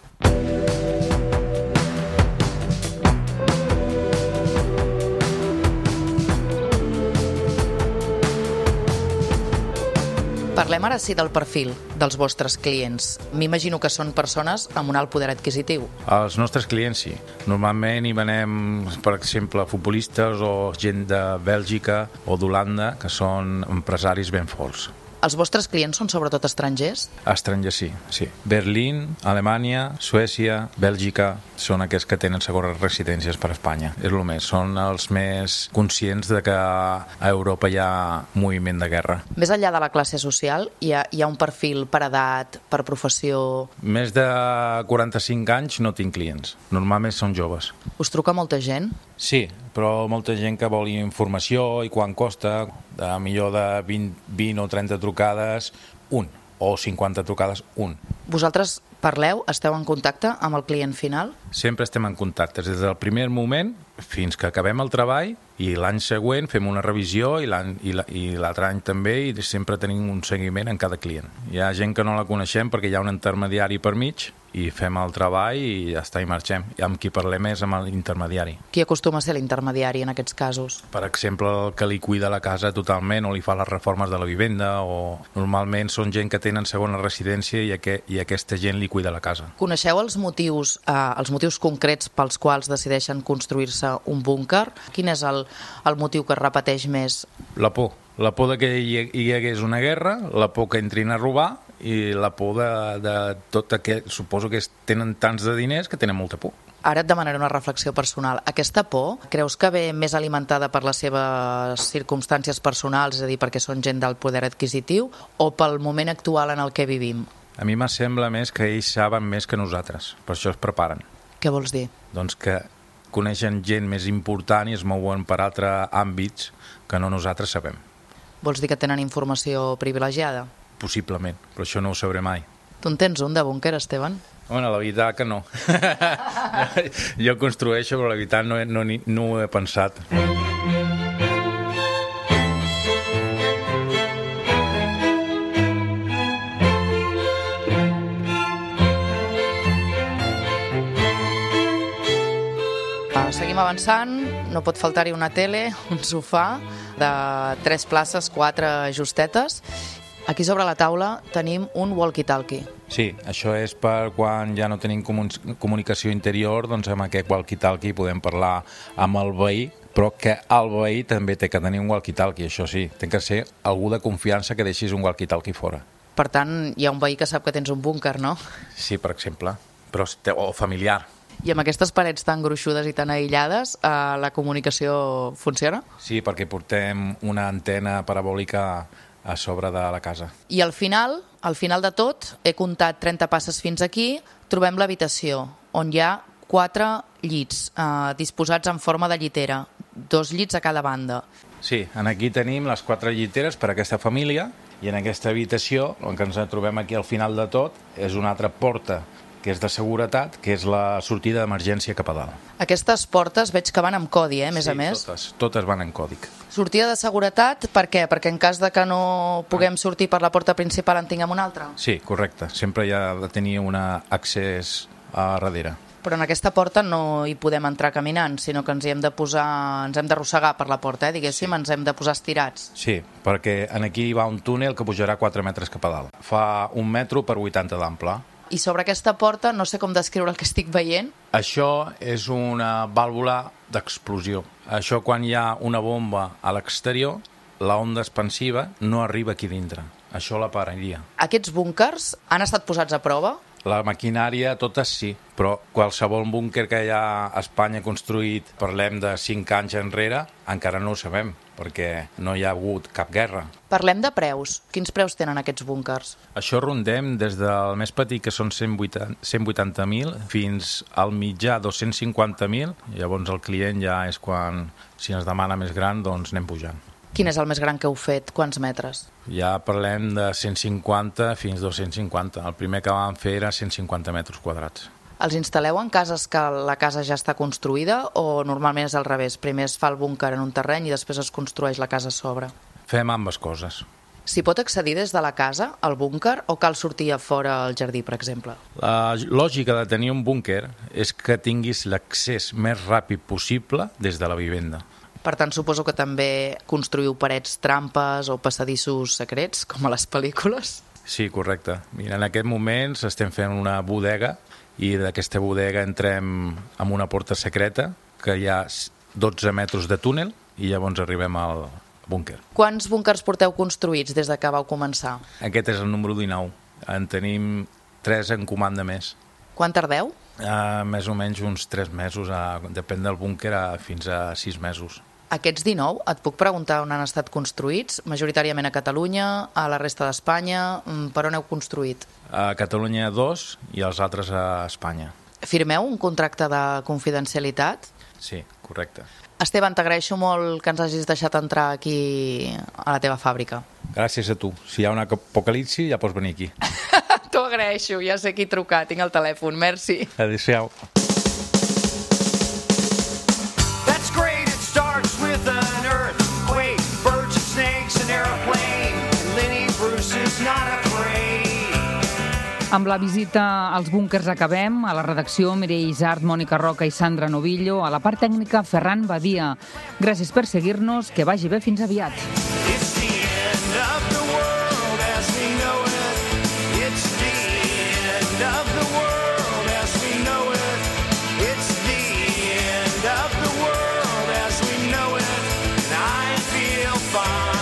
Parlem ara sí del perfil dels vostres clients. M'imagino que són persones amb un alt poder adquisitiu. Els nostres clients sí. Normalment hi venem, per exemple, futbolistes o gent de Bèlgica o d'Holanda que són empresaris ben forts. Els vostres clients són sobretot estrangers? Estrangers, sí, sí. Berlín, Alemanya, Suècia, Bèlgica, són aquests que tenen segones residències per Espanya. És el més, són els més conscients de que a Europa hi ha moviment de guerra. Més enllà de la classe social, hi ha, hi ha un perfil per edat, per professió? Més de quaranta-cinc anys no tinc clients. Normalment són joves. Us truca molta gent? Sí, però molta gent que vol informació i quan costa, de millor de vint, vint o trenta trucades, un, o cinquanta trucades, un. Vosaltres parleu, esteu en contacte amb el client final? Sempre estem en contacte, des del primer moment fins que acabem el treball i l'any següent fem una revisió i l'altre any també i sempre tenim un seguiment en cada client. Hi ha gent que no la coneixem perquè hi ha un intermediari per mig i fem el treball i ja està, i marxem. I amb qui parlem és amb l'intermediari. Qui acostuma a ser l'intermediari en aquests casos? Per exemple, el que li cuida la casa totalment o li fa les reformes de la vivenda, o normalment són gent que tenen segona residència i, aqu i aquesta gent li cuida la casa. Coneixeu els motius, eh, els motius concrets pels quals decideixen construir-se un búnquer? Quin és el, el motiu que es repeteix més? La por. La por de que hi, hi hagués una guerra, la por que entrin a robar i la por de, de tot aquest... Suposo que tenen tants de diners que tenen molta por. Ara et demanaré una reflexió personal. Aquesta por, creus que ve més alimentada per les seves circumstàncies personals, és a dir, perquè són gent del poder adquisitiu, o pel moment actual en el que vivim? A mi me sembla més que ells saben més que nosaltres, per això es preparen. Què vols dir? Doncs que coneixen gent més important i es mouen per altres àmbits que no nosaltres sabem. Vols dir que tenen informació privilegiada? Possiblement, però això no ho sabré mai. Tu en tens un de búnquer, Esteban? Bueno, la veritat que no. Jo construeixo, però la veritat no, no, no ho he pensat. Seguim avançant, no pot faltar-hi una tele, un sofà de tres places, quatre justetes. Aquí sobre la taula tenim un walkie-talkie. Sí, això és per quan ja no tenim comunicació interior, doncs amb aquest walkie-talkie podem parlar amb el veí, però que el veí també té que tenir un walkie-talkie, això sí, té que ser algú de confiança que deixis un walkie-talkie fora. Per tant, hi ha un veí que sap que tens un búnquer, no? Sí, per exemple, però, o familiar. I amb aquestes parets tan gruixudes i tan aïllades, eh, la comunicació funciona? Sí, perquè portem una antena parabòlica a sobre de la casa. I al final, al final de tot, he comptat trenta passes fins aquí, trobem l'habitació, on hi ha quatre llits eh, disposats en forma de llitera, dos llits a cada banda. Sí, aquí tenim les quatre lliteres per a aquesta família i en aquesta habitació, el que ens trobem aquí al final de tot, és una altra porta que és de seguretat, que és la sortida d'emergència cap a dalt. Aquestes portes veig que van amb codi, eh, a més sí, a més. Sí, totes, totes van en còdic. Sortida de seguretat, per què? Perquè en cas de que no puguem sortir per la porta principal en tinguem una altra? Sí, correcte. Sempre hi ha de tenir un accés a darrere. Però en aquesta porta no hi podem entrar caminant, sinó que ens hi hem de posar, ens hem d'arrossegar per la porta, eh, diguéssim, sí. Ens hem de posar estirats. Sí, perquè aquí hi va un túnel que pujarà quatre metres cap a dalt. Fa un metro per vuitanta d'ample. I sobre aquesta porta, no sé com descriure el que estic veient. Això és una vàlvula d'explosió. Això quan hi ha una bomba a l'exterior, la onda expansiva no arriba aquí dintre. Això la pararia. Aquests búnquers han estat posats a prova? La maquinària, totes sí, però qualsevol búnquer que hi ha a Espanya construït, parlem de cinc anys enrere, encara no ho sabem, perquè no hi ha hagut cap guerra. Parlem de preus. Quins preus tenen aquests búnquers? Això rondem des del més petit, que són cent vuitanta mil, fins al mitjà dos-cents cinquanta mil. Llavors el client ja és quan, si ens demana més gran, doncs anem pujant. Quin és el més gran que heu fet? Quants metres? Ja parlem de cent cinquanta fins dos-cents cinquanta. El primer que vam fer era cent cinquanta metres quadrats. Els instal·leu en cases que la casa ja està construïda o normalment és al revés? Primer es fa el búnquer en un terreny i després es construeix la casa a sobre? Fem ambes coses. S'hi pot accedir des de la casa, al búnquer, o cal sortir a fora al jardí, per exemple? La lògica de tenir un búnquer és que tinguis l'accés més ràpid possible des de la vivenda. Per tant, suposo que també construïu parets trampes o passadissos secrets, com a les pel·lícules? Sí, correcte. Mira, en aquest moment estem fent una bodega i d'aquesta bodega entrem amb una porta secreta que hi ha dotze metres de túnel i llavors arribem al, búnquer. Quants búnquers porteu construïts des de que vau començar? Aquest és el número dinou. En tenim tres en comanda més. Quan tardeu? Uh, més o menys uns tres mesos, uh, depèn del búnquer, uh, fins a sis mesos. Aquests dinou, et puc preguntar on han estat construïts? Majoritàriament a Catalunya, a la resta d'Espanya, per on heu construït? A Catalunya dos i els altres a Espanya. Firmeu un contracte de confidencialitat? Sí, correcte. Esteban, t'agraeixo molt que ens hagis deixat entrar aquí a la teva fàbrica. Gràcies a tu. Si hi ha una apocalipsi, ja pots venir aquí. T'ho agraeixo, ja sé qui trucar, tinc el telèfon, merci. Adéu-siau. That's great, it starts with an earthquake, birds and snakes, an airplane, and Lenny Bruce is not afraid. Amb la visita als búnquers acabem. A la redacció, Mireia Isart, Mònica Roca i Sandra Novillo. A la part tècnica, Ferran Badia. Gràcies per seguir-nos, que vagi bé, fins aviat. It's the end of the world as we know it. It's the end of the world as we know it. It's the end of the world as we know it. And I feel fine.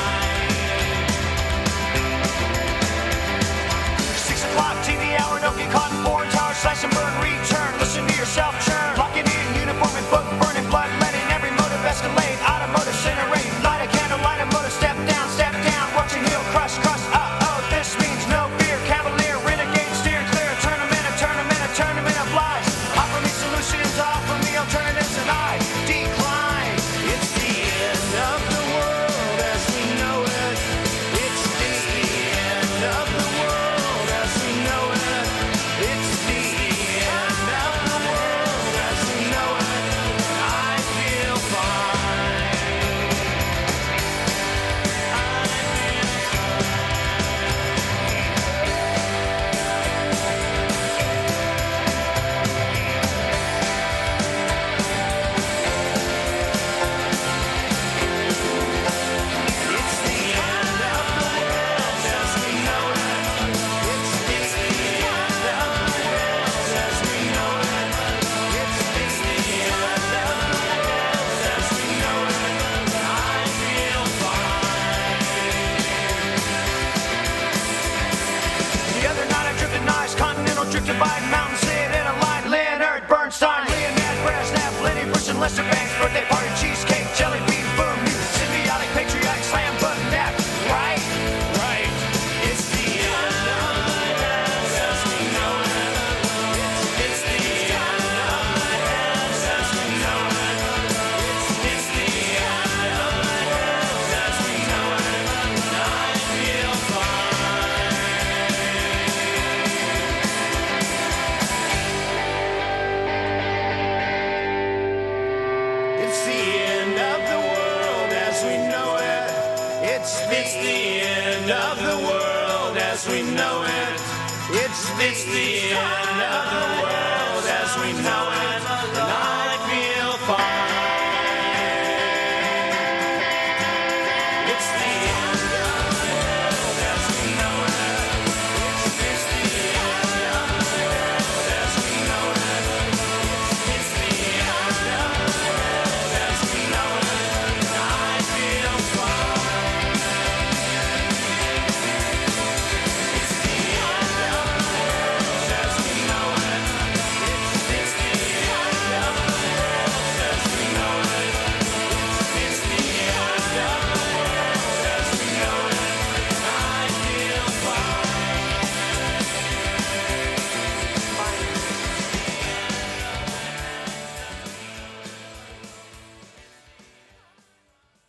Six o'clock T V hour, don't get caught in foreign towers, slash and burn, return. Listen to yourself churn. Locking in, uniform and book, burning blood, letting every motive escalate. Automotive incinerate, light a candle, light a motor, step down, step down. Watch your heel crush, crush, uh-oh. This means no fear, cavalier, renegade, steer clear. Turn them in, a turn them in, a turn them in of lies. Offer me solutions, offer me alternatives, and I decline. It's the end of the world as we know it. It's the end of the world as we know it. It's the end of the world as we know it. I feel fine. It's the end of the world as we know it. It's the end of the world as we know it. It's the end of the world as we know it. I feel fine. The other night I drifted nice, continental drifted by mountains, sit in a line. Leonard Bernstein, Leonard Brezhnev, Lenny Bruce and Lester Banks, birthday party, cheesecake, jelly bean, boom, you symbiotic, patriotic, slam button, nap, right? Right. It's the end of the world as we know it. It's, it's the end of the world as we know it. It's, it's the end of the world as we know it. I feel fine. It's the end of the world as we know it. It's, it's the end of the world as we know it. It's, it's the end of the world as we know it.